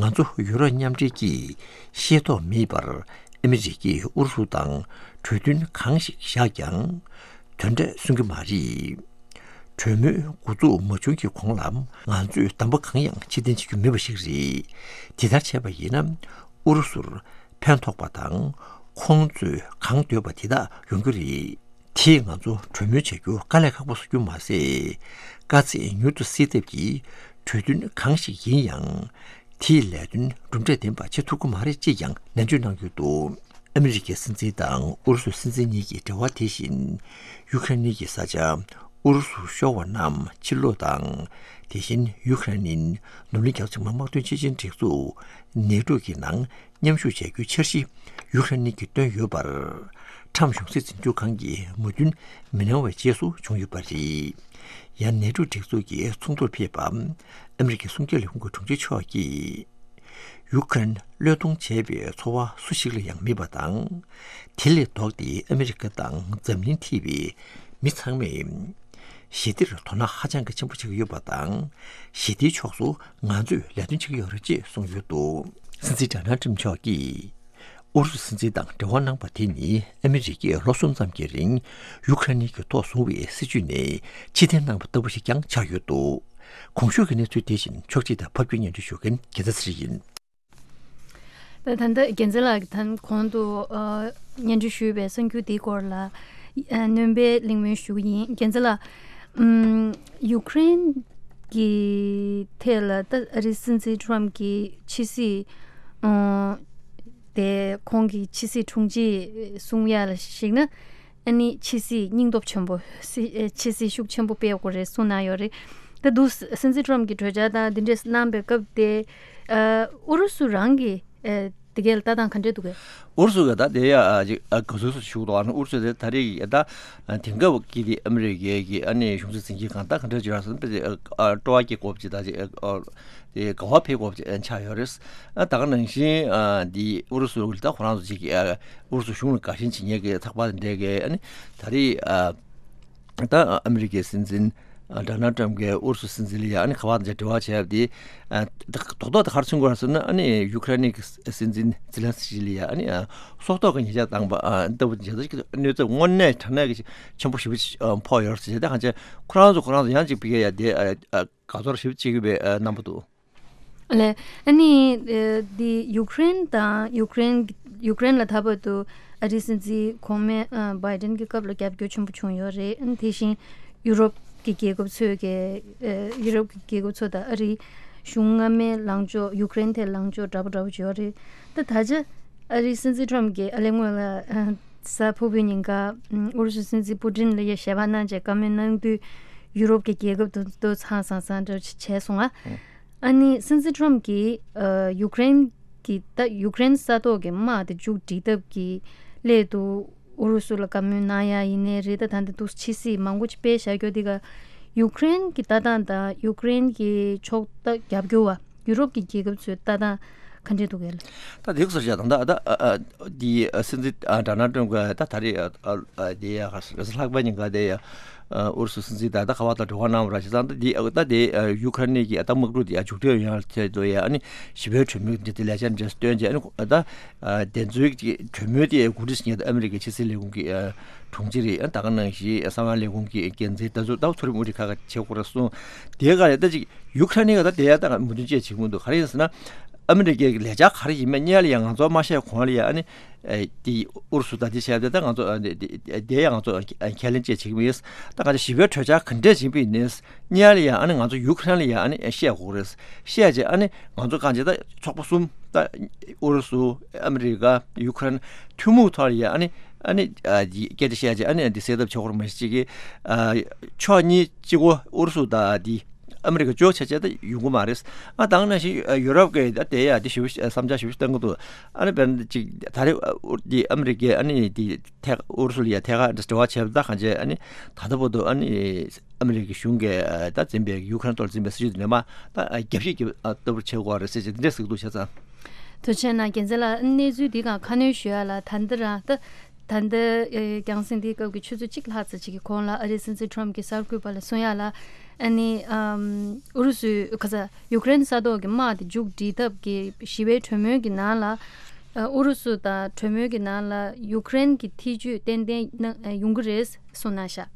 ང་ཚོ་ཡུ་རོབ་མཉམ་འབྲེལ་གྱིས་ཤེས་རྟོགས་མེད་པར་ཨ་མི་རི་ཀས་ཨུ་རུ་སུ་དང་གྲོས་མཐུན་གང་ཞིག་བཞག་ཀྱང་། དོན་འབྲས་སོན་གྱི་མ་རེད། གྲོས་མོལ་འགོ་འཛུགས་མ་བྱུང་གི་གོང་ལ་ང་ཚོས་གདམ་པ་གང་ཡང་ཕྱིར་འཐེན་བྱེད་རྒྱུ་མེད་པ་ཞིག་རེད། དེ་ལྟར་བྱས་པ་ཡིན་ན་ཨུ་རུ་སུར་ཕན་ཐོགས་པ་དང་ཁོང་ཚོས་གང་འདོད་པ་དེ་དག་ཡོང་གི་རེད། དེས་ང་ཚོ་གྲོས་མོལ་བྱ་རྒྱུ་དཀའ་ལས་ཁག་པོ་བཟོ་རྒྱུ་མ་ཟད། དཀའ་ཚེགས་མྱུར་དུ་སེལ་ཐབས་ཀྱི་གྲོས་མཐུན་གང་ཞིག་ཡིན་ཡང་། དེས་ལས་དོན་གྲུབ་འབྲས་ལྡན་པ་བྱེད་ཐུབ་ཀྱི་མ་རེད་ཅེས་ཀྱང་ནན་བརྗོད་གནང་ཡོད་འདུག་ཨ་མི་རི་ཀའི་སྲིད་འཛིན་དང་ཨུ་རུ་སུའི་སྲིད་འཛིན་གཉིས་ཀྱི་འབྲེལ་བ་དེ་བཞིན། ཡུ་ཁ་རེན་གྱི་ས་ཆ་ཨུ་རུ་སུར་ཤོར་བ་རྣམས་ཕྱིར་སློག་དང་། དེ་བཞིན་ཡུ་ཁ་རེན་འཛམ་གླིང་རྒྱལ་ཚོགས་འཆམ་མཐུན་དམག་དོན་སྤྱི་ཆིངས་སྒྲིག་འཛུགས་ནེ་ཊོ་གི་ནང་མཉམ་ཞུགས་བྱ་རྒྱུའི་འཆར་གཞི་ཡུ་ཁ་རེན་གྱིས་བཏོན་ཡོད་པར། ཁྲམ་གཞུང་སྲིད་འཛིན་སྐྱོང་ཁང་གིས་མོས་མཐུན་མི་གནང་བའི་རྗེས་སུ་བྱུང་ཡོད་པ་རེད། ཡང་ནེ་ཊོ་སྒྲིག་འཛུགས་ཀྱི་ཚོགས་འདུར་ཕེབས་པ་ཨ་མི་རི་ཀའི་གསུམ་བརྒྱ་ལས་ཁུངས་ཀྱི་དྲུང་ཆེ་མཆོག་གིས། ཡུ་ཁ་རེན་བློས་གཏོང་བྱས་པའི་ཚོར་བ་སུ་ཞིག་ལ་ཡང་མེད་པ་དང་། དེ་ལས་ལྡོག་སྟེ་ཨ་མི་རི་ཀ་དང་འཛམ་གླིང་ཐིས་པའི་མི་ཚང་མས་ཞི་བདེར་དོ་སྣང་ཧ་ཅང་གི་ཆེན་པོ་བྱེད་ཀྱི་ཡོད་པ་དང་། ཞི་བདེའི་ཕྱོགས་སུ་ང་ཚོས་ལས་དོན་བྱེད་ཀྱི་ཡོད་རེད་ཅེས་གསུངས་ཡོད་འདུག་སྲིད་འཛིན་ཌོ་ནལ་ཊམ་མཆོག་གིས་ཨུ་རུ་སུ་སྲིད་འཛིན་དང་འབྲེལ་བ་གནང་པ་དེ་ནི་ཨ་མི་རི་ཀས་ལོ་གསུམ་ཙམ་གྱི་རིང་ཡུ་ཁ་རེན་གྱི་ཐོག་བཟུང་བའི་སྲིད་བྱུས་ནས་ཕྱིར་འཐེན་གནང་བ་ལྟ་བུ་ཞིག་ཀྱང་ཆགས་ཡོད་འདུག་གོང་ཞུས་ཀྱི་གནས་ཚུལ་དེ་བཞིན་ཕྱོགས་སྒྲིག་དང་ཕབ་སྒྱུར་སྙན་སྒྲོན་ཞུ་མཁན་དགེ་རྩ་ཚེ་རིང་ཡིན། ད་ད་ལྟ་རྒྱལ་མཚན་ལགས་ཀྱིས་ད་གོང་དུ་ཨ་སྙན་སྒྲོན་ཞུས་པའི་གསར་འགྱུར་འདིའི་སྐོར་ལ་ཨ་སྣོན་པའི་གླེང་མོལ་ཞུ་གི་ཡིན། རྒྱལ་མཚན་ལགས། ཨམ་ཡུ་ཀེ་རེན་གྱི་ཐད་ལ་ད་ཨ་རིའི་སྲིད་འཛིན་ཊམ་གྱིས་ཕྱི་སྲིད་ཨ་དེ་ཁོང་གི་ཕྱི་སྲིད་དྲུང་ཆེས་གསུང་ཡ་ལ་གཞིགས་ན། ཨ་ནི་ཕྱི་སྲིད་སྙིང་སྟོབས་ཆེན་པོ་སྲི་ཨེ་ཕྱི་སྲིད་ཤུགས་ཆེན་པོ་སྤེལ་དགོས་རེད་གསུངས་གནང་ཡོད་རེད། ད་དུ་སྲིད་འཛིན་ཊམ་གྱིས་གྲོས་འཆར་དང་འདི་འདྲས་གནང་པའི་སྐབས་དེ་ཨ་ཨུ་རུ་སུ་རང་གི་ཨེ་ དེ་གའི་ལྟ་སྟངས་ག་འདྲས་འདུག་གས། ཨུ་རུ་སུ་གི་ད་དེ་ཡ་ཨ་ཅིག་ཨ་ག་ཚོད་ཞུ་གི་འདུག་ཨ་ནི་ཨུ་རུ་སུ་དེ་ད་རེས་ཀྱི་ད་དེང་སྐབས་ཀྱི་དེ་ཨ་མི་རི་ཀའི་གི་ཨ་ནི་གཞུང་སྲིད་འཛིན་སྐྱོང་གང་ད་ག་འདྲས་ཅིག་རག་སོང་དཔེ་དེ་ཨ་སྤྲོ་བ་སྐྱེ་དགོས་པ་ཅིག་ད་ཅིག་ཨ་དེ་དགའ་བ་འཕེལ་དགོས་པ་ཅིག་ཆགས་ཡོད་རེད། ཨ་ད་ག་ནང་བཞིན་ཨ་དེ་ཨུ་རུ་སུ་ད་ཁོ་རང་ཚོ་ཅིག་གི་ཨ་ཨུ་རུ་སུ་གཞུང་ལ་དགའ་ཞེན་བྱེད་མཁན་གི་ཚགས་པར་དེ་འདྲས་གི་ཨ་ནི་ད་རེས་ཨ། ད་ཨ་མི་རི་ཀའི་སྲིད་འཛིན་ཨ་ཌོ་ནལ་ཊམ་གྱིས་ཨུ་རུ་སུ་སྲིད་འཛིན་ལ་ཡ་ཨ་ནི་ཁ་པར་དང་འབྲེལ་བ་བྱས་པ་དེ་ཨ་རྡོག་རྡོག་ཏུ་ག་རེ་མཚོན་གྱི་ཡོད་རེད་ཟེར་ན། ཨ་ནི་ཡུ་ཁ་རེན་གྱི་སྲིད་འཛིན་ཛི་ལན་སི་ཀི་ལ་ཡ་ཨ་ནི་ཨ་སྲོག་ཐོག་གི་ཉེས་ཆད་བཏང་པ་ཨ་ལྟ་བུ་བྱས་ཙང་གནོད་ཚབས་དངོས་གནས་དྲང་གནས་ཀྱི་ཆེན་པོ་ཞེ་པོ་ཅིག་ཨ་ཕོག་ཡོད་རེད་ཟེར། ད་གང་ཅི་ཁོ་རང་ཚོ་ཁོ་རང་ཚོ་ཡང་ཅིག་ཕ་གིར་ཡ་དེ་ཨ་ཨ་དགའ་ཚོར་ཞེ་པོ་ཅིག་ཡོད་པའི་ཨ་རྣམ་པ་འདུག་ལས། ཨ་ནི་ཨ་འདི་ཡུཀ་རེན་དང་ཡུཀ་རེན་ཡུཀ་རེན་ལ་ད་བར་དུ་ཨ་རིའི་སྲིད་འཛིན་གོང་མའི་ཨ་བྷའི་ཌེན་གྱི་སྐབས་ལ་རྒྱབ་སྐྱོར་ཆེན་པོ་བྱུང་ཡོད་རེད། ཨ་ནི་དེ་བཞིན་ཡུ་རོབ་ཀྱི་རྒྱལ་ཁབ་ཚོས་ཀྱི་ཨ་ཡུ་རོབ་ཀྱི་རྒྱལ་ཁབ་ཚོ་དང་ཨ་རིའི་གཞུང་སྔ་མའི་ལངས་ཕྱོགས་ཡུཀ་རེན་ཐད་ལངས་ཕྱོགས་འདྲ་པོ་འདྲ་པོ་ཅིག་ཡོད་རེད། ད་ད་ཆ་ཨ་རིའི་སྲིད་འཛིན་ཊམ་གྱིས་ཨ་ལས་སྔོན་ལ་ཨ་གཟའ་ཕུར་བུའི་ཉིན་ཀ་ཨ་ཨུ་རུ་སུའི་སྲིད་འཛིན་པུ་ཏིན་ལ་ཡ་ཞལ་པར་གནང་བྱས་བཀའ་མོལ་གནང་དུས་ཡུ་རོབ་ཀྱི་རྒྱལ་ཁབ་དེ་ཚོ་ཚང་ཚང་ཚང་འདྲ་བྱས་སོང་ང་། ཨ་ནི་སྲིད་འཛིན་ཊམ་གྱིས་ཨ་ཡུཀ་རེན་གྱི་ད་ཡུཀ་རེན་ས་ཐོག་གི་དམག་དེ་མཇུག་སྒྲིལ་ཐབས་ཀྱི་སླད་དུ་ཨུ་རུ་སུ་ལ་བཀའ་མོལ་གནང་ཡ་ཡིན་ནའི་རེད། ད་ད་འདི་འདུག་ཕྱི་སྲིད་མང་པོ་ཅིག་སྤེལ་བཞག་རྒྱུ་འདི་ག་ཡུཀ་རེན་གྱི་ལྟ་སྟངས་དང་ཡུཀ་རེན་གྱི་ཕྱོགས་ད་རྒྱབ་སྐྱོར་བ་ཡུ་རོབ་ཀྱི་རྒྱལ་ཁབ་ཚོའི་ལྟ་སྟངས་ག་འདྲས་འདུག་གས་ལ། ད་དེ་ག་ཚོད་བྱས་ད་ད་ཨ་ཨ་འདི་ཨ་སྲིད་འཛིན་ཨ་ཌོ་ནལ་ཊམ་གྱིས་ད་ད་རེས་ཨ་ཨ་འདི་ཡ་ག་ལྷག་པའི་ཉིན་ག་དེ་ཡ། ཨུ་རུ་སུ་སྲིད་འཛིན་དང་ད་ཁ་པར་དང་འབྲེལ་བ་གནང་བ་ར་བྱས་ཙང་ད་འདི་ད་དེ་ཡུ་ཁ་རེན་གྱི་ད་དམག་འཁྲུག་དེ་མཇུག་སྒྲིལ་ཡོང་ཡ་ཐད་དུ་ཡ་ཨ་ནི་ཞི་བའི་གྲོས་མོལ་འདི་དེ་ལས་འཆར་འདྲ་སྟོན་རྗེས་ཨ་ནི་ད་དེ་ཚོའི་གྲོས་མོལ་དེ་གོ་སྒྲིག་བྱེད་མཁན་ད་ཨ་མི་རི་ཀའི་ཕྱི་སྲིད་ལས་ཁུངས་ཀྱི་དྲུང་ཆེ་རེད། ད་ག་ནང་བཞིན་གསང་བའི་ལས་ཁུངས་ཀྱི་འགན་འཛིན་ད་ཚོ་ད་ཚོ་རིམ་ཨུ་རི་ཁ་ཁ་བྱེད་དགོས་རེད་གསུངས། དེའི་སྒང་ལ་ད་ཅིག་ཡུ་ཁ་རེན་གྱི་ད་དེ་ཡ་ད་མོས་མཐུན་བཅས་བྱེད་ཀྱི་མི་འདུག་ག་རེ་ཡིན་ཟེར་ན། ཨ་མི་རི་ཀའི་ལས་འཆར་ག་རེ་ཡིན་མིན་སྔོན་ལ་ཡང་ང་ཚོ་མ་བཤད་གོང་ལ་ཡང་ཨ་ནི་ཨེ་དེ་ཨུ་རུ་སུ་དང་དེ་བྱས་ཏེ་ད་ང་ཚོ་ཨ་ནི་དེ་དེ་ཡང་ང་ཚོ་ཁས་ལེན་བཅས་བྱེད་ཀྱི་མི་ཡིན། ད་ང་ཚོ་ཞི་བའི་གྲོས་འཆར་ག་འདྲས་ཡིན་པ་ཡིན་ནའི་སྔོན་ལ་ཡང་ཨ་ནི་ང་ཚོ་ཡུ་ཁ་རེན་ལ་ཡང་ཨ་ནི་བཤད་དགོས་རེད། བཤད་རྗེས་ཨ་ནི་ང་ཚོ་གང་ཅི་ད་ཚོགས་པ་གསུམ་ད་ཨུ་རུ་སུ་ཨ་མི་རི་ཀ་ཡུ་ཁ་རེན་ཐུན་མོང་ཐོག་ལ་ཡང་ཨ་ནི་ཨ་ནི་ཨ་དེ་སྐད་ཆ་བཤད་རྗེས་ཨ་ནི་དེ་སེལ་ཐབས་བྱེད་དགོས་རེད། མ་གཞི་གཅིག་གི་ཨ་ཕྱོགས་གཉིས་གཅིག་པོ་ཨུ་རུ་སུ་དང་དེ། ཨ་མི་རི་ཀ་གཅིག་པོ་བྱས་བྱས་ད་ཡོང་གི་མ་རེད། ཨ་ད་ག་ནང་བཞིན་ཡུ་རོབ་ཀྱི་ད་དེ་ཡ་དེ་ཞེ་པོ་བསམ་འཆར་ཞེ་པོ་བཏོན་གི་འདུག་ཨ་ནི་དཔེར་ན་ཅིག་ད་རེས་ཨུ་དེ་ཨ་མི་རི་ཀས་ཨ་ནི་དེ་ཐད་ཨུ་རུ་སུ་ལ་ཡ་ཐད་ཀར་འབྲེལ་བ་བྱས་པ་ད་གང་བྱས་ཨ་ནི་ད་ལྟ་བར་དུ་ཨ་ནི་ཨ་མི་རི་ཀའི་གཞུང་གིས་ད་འཛིན་པའི་ཡུ་ཁ་རེན་ཐོག་འཛིན་པའི་སྲིད་ཇུས་དེ་ནས་མ་ད་རྒྱབ་བཤིག་རྒྱབ་ལྟ་བུར་བྱེད་དགོས་རེད་ཟེར་བྱས་དེ་འདྲས་ཟེར་གི་འདུག་བྱས་ཙང་། ཐུགས་རྗེ་གནང་། རྒྱལ་མཚན་ལགས། གནས་ཚུལ་འདི་སྒང་ཁ་སྣོན་ཞུ་ཡ་ལ་ད་ལྟ་རང་ད། ད་ལྟ་ཨེ་རྒྱང་སྲིང་འདིའི་སྐབས་ཀྱི་ཆུ་ཚོད་གཅིག་ལྷག་ཙམ་ཅིག་གི་གོང་ལ་ཨ་རིའི་སྲིད་འཛིན་ཊམ་གྱིས་གསར་འགོད་པ་ལ་གསུང་ཡ་ལ། ཨ་ནི་ཨམ་ཨུ་རུ་སུའི་ཁ་ས་ཡུཀ་རེན་ས་ཐོག་གི་དམག་དེ་མཇུག་སྒྲིལ་ཐབས་ཀྱི་ཞི་བའི་གྲོས་མོལ་གྱི་ནང་ལ་ཨ་ཨུ་རུ་སུ་དང་གྲོས་མོལ་གྱི་ནང་ལ་ཡུཀ་རེན་གྱི་ཐེ་ཇུས་ཏན་ཏན་ན་ཡོང་གི་རེད་གསུངས་གནང་ཤག་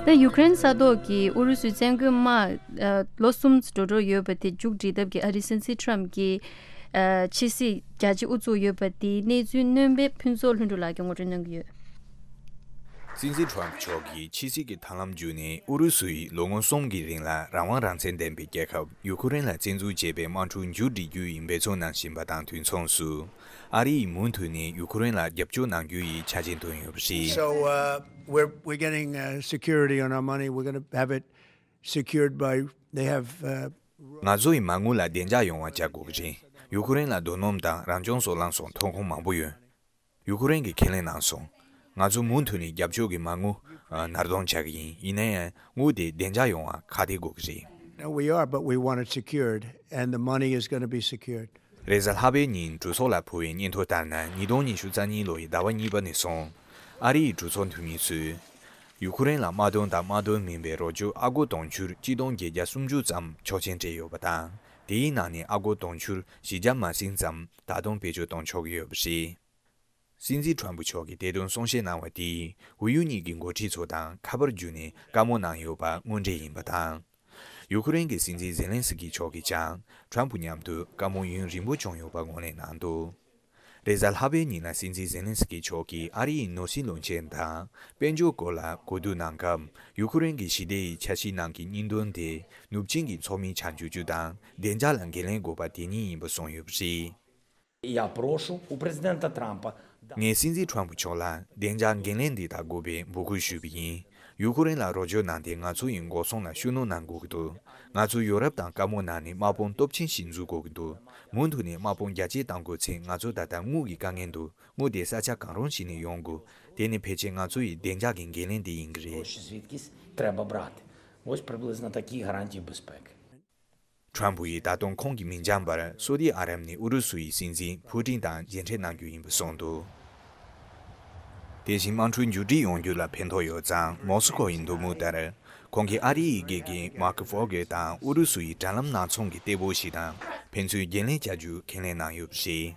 ད་ཡུཀ་རེན་ས་ཐོག་གི་ཨུ་རུ་སུའི་བཙན་རྒོལ་དམག་ཨ་ལོ་གསུམ་འགྲོ་འགྲོ་ཡོད་པ་དེ་མཇུག་སྒྲིལ་ཐབས་ཀྱི་ཨ་རིའི་སྲིད་འཛིན་ཊམ་གྱིས་ཨ་ཕྱི་སྲིད་རྒྱ་ཆེ་དབུ་བཙུགས་ཡོད་པ་དེའི་གནས་ཚུལ་སྣོན་པའི་ཕུན་ཚོགས་ལྷུན་གྲུབ་ལགས་ཀྱིས་ངོ་སྤྲོད་གནང་གི་ཡོད། སྲིད་འཛིན་ཊམ་མཆོག་གིས་ཕྱི་སྲིད་ཀྱི་ཐབས་ལམ་བརྒྱུད་ནས་ཨུ་རུ་སུ་ཡིས་ལོ་ངོ་གསུམ་གྱི་རིང་ལ་རང་དབང་རང་བཙན་ལྡན་པའི་རྒྱལ་ཁབ་ཡུ་ཁུ་རེན་ལ་བཙན་འཛུལ་བྱས་པའི་དམག་འཁྲུག་མཇུག་སྒྲིལ་རྒྱུ་ཡིན་འབད་བརྩོན་གནང་བཞིན་པ་དང་དུས་མཚུངས་སུ། ཨ་རི་ཡིས་མུ་མཐུད་ནས་ཡུ་ཁུ་རེན་ལ་རྒྱབ་སྐྱོར་གནང་རྒྱུ་ཡི་ཆ་རྐྱེན་བཏོན་ཡོད་པ་རེད། So, uh, we're, we're getting, uh, security on our money. We're gonna have it secured by, they have, uh, ང་ཚོ་ཡི་མ་དངུལ་ལ་བདེ་འཇགས་ཡོང་བ་བྱ་དགོས་ཀྱི་རེད། ཡུ་ཁུ་རེན་ལ་རྡོ་སྣུམ་དང་རང་བྱུང་སོལ་རླངས་སོགས་ཐོན་ཁུངས་མང་པོ་ཡོད། ཡུ་ཁུ་རེན་གྱིས་ཁས་ལེན་གནང་སོང་། ང་ཚོ་མུ་མཐུད་ནས་རྒྱབ་སྐྱོར་གྱི་མ་དངུལ་ཨ་ནར་གདོང་བྱ་གི་ཡིན། ཡིན་ན་ཡང་དངུལ་དེ་བདེ་འཇགས་ཡོང་བ་ཁག་ཐེག་དགོས་ཀྱི་རེད། No, we are, but we want it secured, and the money is gonna be secured. རེས་གཟའ་ལྷག་པའི་ཉིན་གྲོས་ཚོགས་ལ་ཕུལ་བའི་སྙན་ཐོ་ལྟར་ན། ཉིས་སྟོང་ཉི་ཤུ་རྩ་གཉིས་ལོ་ཡི་ཟླ་བ་གཉིས་པ་ནས་བཟུང་ཨ་རི་ཡི་གྲོས་ཚོགས་འཐུས་མི་ཚོས་ཡུ་ཁུ་རེན་ལ་དམག་དོན་དང་དམག་དོན་མིན་པའི་རོགས་སྐྱོར་ཨ་སྒོར་དུང་ཕྱུར་གཅིག་སྟོང་བརྒྱད་བརྒྱ་སུམ་ཅུ་ཙམ་ཆོག་མཆན་སྤྲད་ཡོད་པ་དང་། དེའི་ནང་ནས་ཨ་སྒོར་དུང་ཕྱུར་བཞི་བརྒྱ་མ་ཟིན་ཙམ་ད་དུང་བེད་སྤྱོད་གཏོང་ཆོག་གི་ཡོད་པ་རེད། སྲིད་འཛིན་ཁྲོམ་ཕུ་མཆོག་གིས་དེ་དོན་གསུང་བཤད་གནང་བ་དེས་ཝུ་ཡུ་གཉིས་ཀྱི་འགོ་ཁྲིད་ཚོ་དང་ཁ་པར་བརྒྱུད་ནས་བཀའ་མོལ་གནང་ཡོད་པ་དངོས་འབྲེལ་ཡིན་པ་དང་། ཡུ་ཁུ་རེན་གྱི་སྲིད་འཛིན་ཛེ་ལན་སི་ཀི་མཆོག་གིས་ཀྱང་ཁྲོམ་ཕུ་མཉམ་དུ་བཀའ་མོལ་ཡུན་རིང་པོ་བྱུང་ཡོད་པ་ངོས་ལེན་གནང་འདུག་རེས་གཟའ་ལྷག་པའི་ཉིན་ལ་སྲིད་འཛིན་ཛེ་ལན་སི་ཀི་མཆོག་གིས་ཨ་རི་ཡི་ནོར་སྲིད་བློན་ཆེན་དང་དཔལ་འབྱོར་སྐོར་ལ་གོ་བསྡུར་གནང་སྐབས། ཡུ་ཁུ་རེན་གྱི་ཞི་བདེ་ཡི་འཆར་གཞིའི་ནང་གི་སྙིང་དོན་དེ་ནུབ་ཆིངས་ཀྱི་ཚོགས་མི་ཆ་འཇོག་རྒྱུ་དང་བདེ་འཇགས་ལ་འགན་ལེན་དགོས་པ་དེ་གཉིས་ཡིན་པ་གསུངས་ཡོད་པ་རེད། Я прошу у президента Трампа. ངས་སྲིད་འཛིན་ཁྲོམ་ཕུ་མཆོག་ལ་བདེ་འཇགས་འགན་ལེན་འདི་དང་དགོས་པའི་འབོད་སྐུལ་ཞུས་པ་ཡིན། ཡུ་ཁུ་རེན་ལ་རོགས་སྐྱོར་གནང་སྟེ་ང་ཚོ་ཡི་འགོག་སྲུང་ལ་ཤུགས་སྣོན་གནང་དགོས་ཀྱི་འདུག་ང་ཚོ་ཡོ་རོབ་དང་དཀར་མོ་ནང་ནས་དམག་དཔུང་སྟོབས་ཆེན་ཞིག་འཛུགས་དགོས་ཀྱི་འདུག་མུ་མཐུད་ནས་དམག་དཔུང་རྒྱ་སྐྱེད་གཏང་དགོས་ཚེ་ང་ཚོ་ད་ལྟ་དངུལ་གྱི་དཀའ་ངལ་འདུག་དངུལ་དེ་ས་ཆ་གང་རུང་ཞིག་ནས་ཡོང་དགོས། དེ་ནི་ཕལ་ཆེར་ང་ཚོ་ཡི་བདེ་འཇགས་ཀྱི་འགན་ལེན་དེ་ཡིན་གྱི་རེད། Гроші звідкись треба брати. Ось приблизно такі гарантії безпеки. ཁྲམ་ཕུ་ཡིས་ད་དུང་ཁོང་གི་མིང་བྱང་བར་སོ་ཏི་ཨ་རབ་ནས་ཨུ་རུ་སུ་ཡི་སྲིད་འཛིན་ཕུ་ཏིན་དང་མཇལ་འཕྲད་གནང་རྒྱུ་ཡིན་པ་གསུངས་འདུག་དེ་བཞིན་དམག་འཁྲུག་མཇུག་སྒྲིལ་ཡོང་རྒྱུ་ལ་ཕན་ཐོགས་ཡོད་ཙང་མོ་སི་ཁོ་ཡི་འདོད་མོས་ལྟར། ཁོང་གིས་ཨ་རི་ཡི་དགེ་རྒན་མཱ་ཁི་ཕོ་གེ་དང་ཨུ་རུ་སུ་ཡི་དྲ་ལམ་ནང་ཚོང་གི་གཏེ་པོ་ཞིག་དང་ཕན་ཚུན་འགན་ལེན་བྱ་རྒྱུ་ཁས་ལེན་གནང་ཡོད་པ་རེད།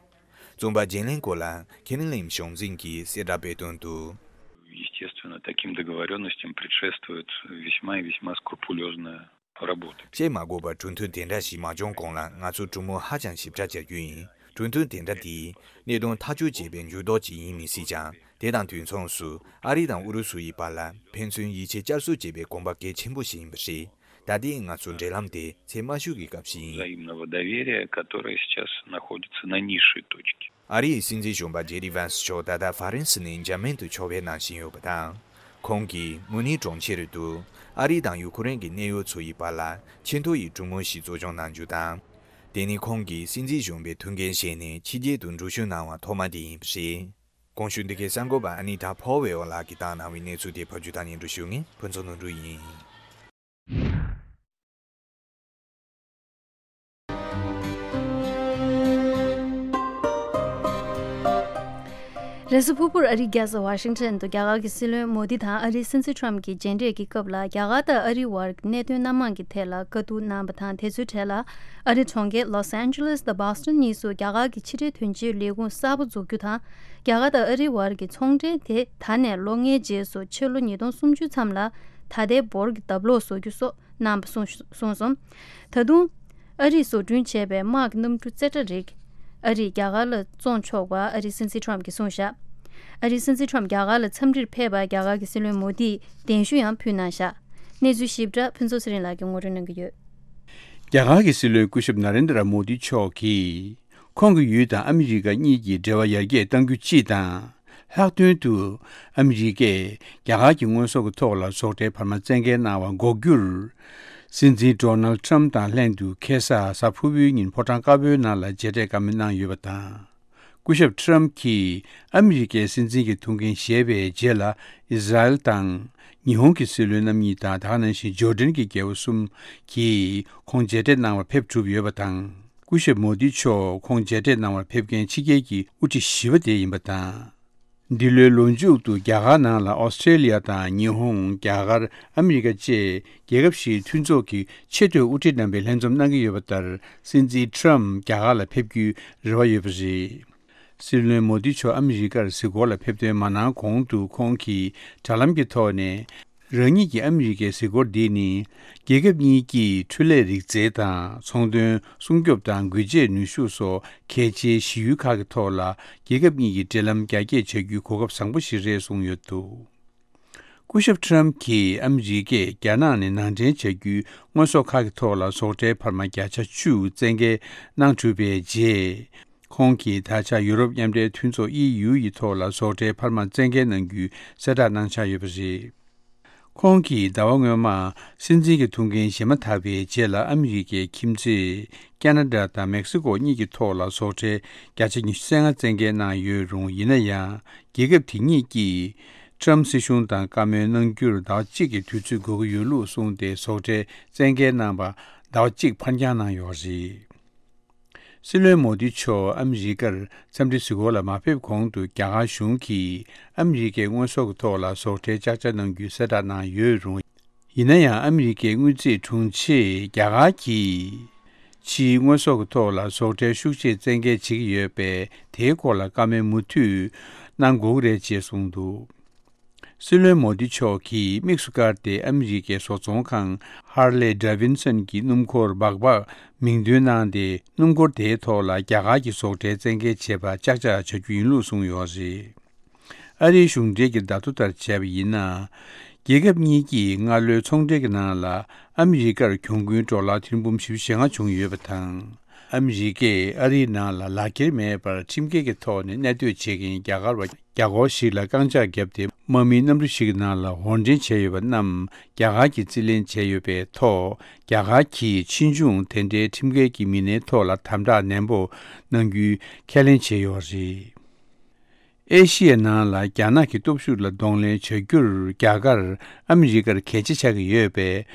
བཙོན་པ་བརྗེ་ལེན་སྐོར་ལ་ཁེ་ནི་ལིམ་གཞུང་འཛིན་གྱིས་གསལ་བསྒྲགས་སྤེལ་དོན་དུ། Естественно, таким договорённостям предшествует весьма и весьма скрупулёзная работа. བཤད་མ་དགོས་པར་གྲོས་མཐུན་དེ་འདྲ་ཞིག་མ་བྱུང་གོང་ལ་ང་ཚོ་གྲོས་མོལ་ཧ་ཅང་ཞིབ་ཕྲ་བྱ་རྒྱུ་ཡིན། གྲོས་མཐུན་དེ་འདྲ་དེས་གནད་དོན་ཐག་གཅོད་བྱས་པའི་འགྱུར་ལྡོག་ཅིག་ཡིན་མི་སྲིད་ཀྱང་། དེ་དང་དུས་མཚུངས་སུ་ཨ་རི་དང་ཨུ་རུ་སུ་ཡི་བར་ལ་ཕན་ཚུན་ཡིད་ཆེས་བསྐྱར་གསོ་བྱེད་པའི་གོམ་པ་གལ་ཆེན་པོ་ཞིག་ཡིན་པ་རེད། ད་ལྟའི་ང་ཚོའི་འབྲེལ་ལམ་དེ་ཚད་དམའ་ཤོས་ཀྱི་སྐབས་ཤིག་ཡིན། Взаимного доверия, которое сейчас находится на низшей точке. ཨ་རིའི་སྲིད་འཛིན་གཞོན་པ་ཇེ་ཌི་ཝན་སི་མཆོག་ད་ལྟ་ཧྥ་རན་སི་ནས་འཇར་མན་དུ་ཕྱོགས་ཕེབས་གནང་བཞིན་ཡོད་པ་དང་། ཁོང་གིས་མུ་ནིག་གྲོང་ཁྱེར་དུ་ཨ་རི་དང་ཡུ་ཁུ་རེན་གྱི་གནད་ཡོད་ཚོ་ཡི་བར་ལ་ཆེས་མཐོ་ཡི་གྲོས་མོལ་ཞིག་གཙོ་སྐྱོང་གནང་རྒྱུ་དང་། དེ་ནི་ཁོང་གིས་སྲིད་འཛིན་གཞོན་པའི་ཐུགས་འགན་བཞེས་ནས་ཕྱི་རྒྱལ་དུ་འགྲུལ་བཞུད་གནང་བ་ཐོག་མ་དེ་ཡིན་པ་རེད། གོང་ཞུས་འདི་གའི་གསར་འགོད་པ་ཨ་ནི་ད་ཕོ་ཝེ་ཨོ་ལགས་ཀྱིས་བཏང་གནང་བའི་གནས་ཚུལ་དེ་ཕབ་སྒྱུར་དང་སྙན་སྒྲོན་ཞུ་མཁན་ཕུན་ཚོགས་ནོར་འབྲུག་ཡིན། རེས་གཟའ་ཕུར་བུར་ཨ་རིའི་རྒྱལ་ས་ཝ་ཤིང་ཊོན་དུ་རྒྱ་གར་གྱི་སྲིད་བློན་མོ་དི་དང་ཨ་རིའི་སྲིད་འཛིན་ཁྲམ་གྱི་མཇལ་འཕྲད་ཀྱི་སྐབས་ལ། རྒྱ་གར་དང་ཨ་རིའི་བར་གྱི་གནད་དོན་སྣ་མང་གི་ཐད་ལ་བཀའ་བསྡུར་གནང་བ་དང་། དེ་ཚོའི་གྲས་ལ་ཨ་རིའི་གྲོང་ཁྱེར་ལོས་ཨན་ཇེ་ལེས་དང་བྷོ་སི་ཊོན་གཉིས་སུ་རྒྱ་གར་གྱི་ཕྱི་འབྲེལ་དོན་གཅོད་ལས་ཁུངས་གསར་པ་འཛུགས་རྒྱུ་དང་། རྒྱ་གར་དང་ཨ་རིའི་བར་གྱི་ཚོང་འབྲེལ་དེ་ད་ནས་ལོ་ལྔའི་རྗེས་སུ་ཕྱི་ལོ་ཉིས་སྟོང་སུམ་ཅུ་མཚམས་ལ་ད་ལྟའི་འབོར་གྱི་ལྡབ་ལོག་བཟོ་རྒྱུ་སོགས་གནང་བ་གསུངས་གསུངས་སོང་། ད་དུང་ཨ་རིས་བཟོ་སྐྲུན་བྱས་པའི་དམག་གི་གནམ་གྲུ་རྩེ་གྲ་རིགས་ཨ་རིས་རྒྱ་གར་ལ་བཙོང་ཆོག་པ་ཨ་རིའི་སྲིད་འཛིན་ཁྲམ་གྱིས་གསུངས་བཞག་ཨ་རིའི་སྲིད་འཛིན་ཁྲམ་རྒྱ་གར་ལ་འཚམས་འདྲིར་ཕེབས་པར་རྒྱ་གར་གྱི་སྲིད་བློན་མོ་དིས་གདན་ཞུ་ཡང་ཕུལ་གནང་བཞག་གནས་ཚུལ་ཞིབ་ཕྲ་ཕུན་ཚོགས་ཚེ་རིང་ལགས་ཀྱིས་ངོ་སྤྲོད་གནང་གི་ཡོད། རྒྱ་གར་གྱི་སྲིད་བློན་སྐུ་ཞབས་ན་རེན་དྲ་མོ་དི་མཆོག་གིས། ཁོང་གི་ཡུལ་དང་ཨ་མི་རི་ཀ་གཉིས་ཀྱི་འབྲེལ་བ་ཡར་རྒྱས་གཏང་རྒྱུ་སྤྱི་དང་། ལྷག་དོན་དུ་ཨ་མི་རི་ཀས་རྒྱ་གར་གྱི་དངོས་ཟོག་གི་ཐོག་ལ་ཟོག་ཁྲལ་འཕར་མ་བཙན་འགེལ་གནང་བ་འགོག་རྒྱུར། སྲིད་འཛིན་ཌོ་ནལ་ཊམ་དང་ལྷན་དུ་ཁ་སང་གཟའ་ཕུར་བུའི་ཉིན་ཕོ་བྲང་དཀར་པོའི་ནང་ལ་མཇལ་འཕྲད་བཀའ་མོལ་གནང་ཡོད་པ་དང་། སྐུ་ཞབས་ཊམ་གྱིས་ཨ་མི་རི་ཀའི་སྲིད་འཛིན་གྱི་ཐུགས་འགན་བཞེས་པའི་རྗེས་ལ། ཨི་ཟ་རེལ་དང་། ཉི་ཧོང་གི་སྲིད་བློན་རྣམ་གཉིས་དང་། དེ་ག་ནང་བཞིན་ཇོར་ཌན་གྱི་རྒྱལ་པོ་གསུམ་གྱིས་ཁོང་མཇལ་འཕྲད་གནང་བར་ཕེབས་གྲུབ་ཡོད་པ་དང་། སྐུ་ཞབས་མོ་དི་མཆོག་ཁོང་མཇལ་འཕྲད་གནང་བར་ཕེབས་མཁན་ཕྱི་རྒྱལ་གྱི་དབུ་ཁྲིད་བཞི་པ་དེ་ཡིན་པ་དང་། འདི་ལོའི་ལོ་མཇུག་ཏུ་རྒྱ་གར་ནང་ལ་ཨོ་སི་ཀྲེ་ལི་ཡ་དང་ཉི་ཧོང་། རྒྱ་གར། ཨ་མི་རི་ཀ་བཅས་རྒྱལ་ཁབ་བཞིའི་མཐུན་ཚོགས་ཀྱི་ཆེས་མཐོའི་དབུ་ཁྲིད་རྣམ་པས་ལྷན་འཛོམས་གནང་གི་ཡོད་པ་ལྟར། སྲིད་འཛིན་ཊམ་རྒྱ་གར་ལ་ཕེབས་རྒྱུའི་རེ་བ་ཡོད་པ་རེད། སྲིད་བློན་མོ་དི་མཆོག་ཨ་མི་རི་ཀར་གཟིགས་སྐོར་ལ་ཕེབས་ཐོན་མ་གནང་གོང་དུ། ཁོང་གིས་དྲ་ལམ་གྱི་ཐོག་ནས། རང་ཉིད་ཀྱིས་ཨ་མི་རི་ཀའི་གཟིགས་སྐོར་འདི་ནི། རྒྱལ་ཁབ་གཉིས་ཀྱི་འཕྲུལ་ལས་རིག་རྩལ་དང་། ཚོང་དོན། སྲུང་སྐྱོབ་དང་། འགུལ་སྐྱེལ་ནུས་ཤུགས་སོགས་གལ་ཆེའི་གཞི་ཡུལ་ཁག་གི་ཐོག་ལ། རྒྱལ་ཁབ་གཉིས་ཀྱི་འབྲེལ་ལམ་རྒྱ་སྐྱེད་བྱ་རྒྱུའི་གོ་སྐབས་བཟང་པོ་ཞིག་རེད་གསུངས་ཡོད་འདུག་སྐུ་ཞབས་ཊམ་གྱིས་ཨ་མི་རི་ཀས་རྒྱ་ནག་ནས་ནང་འདྲེན་བྱ་རྒྱུའི་དངོས་ཟོག་ཁག་གི་ཐོག་ལ་ཟོག་ཁྲལ་འཕར་མ་བརྒྱ་ཆ་བཅུ་བཙན་འགེལ་གནང་གྲུབ་པའི་རྗེས། ཁོང་གིས་ད་ཆ་ཡུ་རོབ་མཉམ་འབྲེལ་མཐུན་ཚོགས་ཨི་ཡུ་ཡི་ཐོག་ལ་ཟོག་ཁྲལ་འཕར་མ་བཙན་འགེལ་གནང་རྒྱུའི་གསལ་བསྒྲགས་གནང་འཆར་ཡོད་པ་རེད། ཁོང་གིས་ཟླ་བ་སྔོན་མ་སྲིད་འཛིན་གྱི་ཐུགས་འགན་བཞེས་མ་ཐག་པའི་རྗེས་ལ། ཨ་མི་རི་ཀའི་ཁྱིམ་མཚེས་ཀ་ན་ཌ་དང་མེག་སི་ཀོ་གཉིས་ཀྱི་ཐོག་ལ་ཟོག་ཁྲལ་བརྒྱ་ཆ་ཉི་ཤུ་རྩ་ལྔ་བཙན་འགེལ་གནང་ཡོད་རུང་། ཡིན་ན་ཡང་། རྒྱལ་ཁབ་དེ་གཉིས་ཀྱིས་ཊམ་སྲིད་གཞུང་དང་བཀའ་མོལ་གནང་རྒྱུར་ཟླ་བ་གཅིག་གི་དུས་ཚོད་དགོས་ཀྱི་ཡོད་ལུགས་གསུངས་ཏེ། ཟོག་ཁྲལ་བཙན་འགེལ་གནང་བ་ཟླ་བ་གཅིག་ཕར་འགྱངས་གནང་ཡོད་རེད། སྲིད་བློན་མོ་དི་མཆོག་ཨ་མི་རི་ཀར་འཚམས་འདྲི་གཟིགས་སྐོར་ལ་མ་ཕེབས་གོང་དུ། རྒྱ་གར་གཞུང་གིས་ཨ་མི་རི་ཀའི་དངོས་ཟོག་གི་ཐོག་ལ་ཟོག་ཁྲལ་བཅག་ཆ་གནང་རྒྱུའི་གསལ་བསྒྲགས་གནང་ཡོད་རུང་། ཡིན་ན་ཡང་། ཨ་མི་རི་ཀའི་དངུལ་རྩིས་དྲུང་ཆེས་རྒྱ་གར་གྱིས་ཕྱིའི་དངོས་ཟོག་གི་ཐོག་ལ་ཟོག་ཁྲལ་ཤུགས་ཆེ་བཙན་འགེལ་བྱེད་ཀྱི་ཡོད་པས། དེའི་སྐོར་ལ་བཀའ་མོལ་མུ་མཐུད་གནང་དགོས་ཀྱི་རེད་ཅེས་གསུངས་འདུག་སྲིད་བློན་མོ་དི་མཆོག་གིས་དམིགས་སུ་བཀར་ཏེ། ཨ་མི་རི་ཀའི་བཟོ་ཚོང་ཁང་ཧར་ལེ་ཌེ་ཝིན་སོན་གྱི་སྣུམ་འཁོར་སྦག་སྦག་མིང་འདོན་གནང་སྟེ། སྣུམ་འཁོར་དེའི་ཐོག་ལ་རྒྱ་གར་གྱི་ཟོག་ཁྲལ་བཙན་འགེལ་བྱེད་པར་ཅག་ཅག་བྱ་རྒྱུ་ཡིན་ལུགས་གསུངས་ཡོད་རེད། ཨ་རིའི་གཞུང་འབྲེལ་གྱི་བརྡ་ཐོ་ལྟར་བྱས་པ་ཡིན་ན། རྒྱལ་ཁབ་གཉིས་ཀྱིས་སྔ་ལོའི་ཚོང་འབྲེལ་གྱི་ནང་ལ། ཨ་མི་རི་ཀར་གྱོང་གུན་ཌོ་ལར་ཐེར་འབུམ་བཞི་བཅུ་ཞེ་ལྔ་བྱུང་ཡོད་པ་དང་། ཨ་མི་རི་ཀས་ཨ་རིའི་ནང་ལ་ལག་འཁྱེར་མེད་པར་ཁྲིམས་འགལ་གྱི་ཐོག་ནས་གནས་སྡོད་བྱེད་མཁན་རྒྱ་གར་བ་བརྒྱ་སྐོར་ཞིག་ལ་རྐང་བཅག་བརྒྱབ་སྟེ། དམག་མིའི་གནམ་གྲུ་ཞིག་གི་ནང་ལ་དབོར་འདྲེན་བྱས་ཡོད་པ་རྣམས་རྒྱ་གར་གྱིས་རྩིས་ལེན་བྱས་ཡོད་པའི་ཐོག་རྒྱ་གར་གྱིས་ཕྱིས་འབྱུང་དེ་འདྲའི་ཁྲིམས་འགལ་གྱི་མི་སྣའི་ཐོག་ལ་དམ་དྲག་ནན་པོ་གནང་རྒྱུའི་ཁས་ལེན་བྱས་ཡོད་པ་རེད། ཨེ་ཤི་ཡའི་ནང་ལ་རྒྱ་ནག་གི་སྟོབས་ཤུགས་ལ་གདོང་ལེན་བྱ་རྒྱུར་རྒྱ་གར་ཨ་མི་རི་ཀར་གལ་ཆེ་ཆགས་ཀྱི་ཡོད་པས།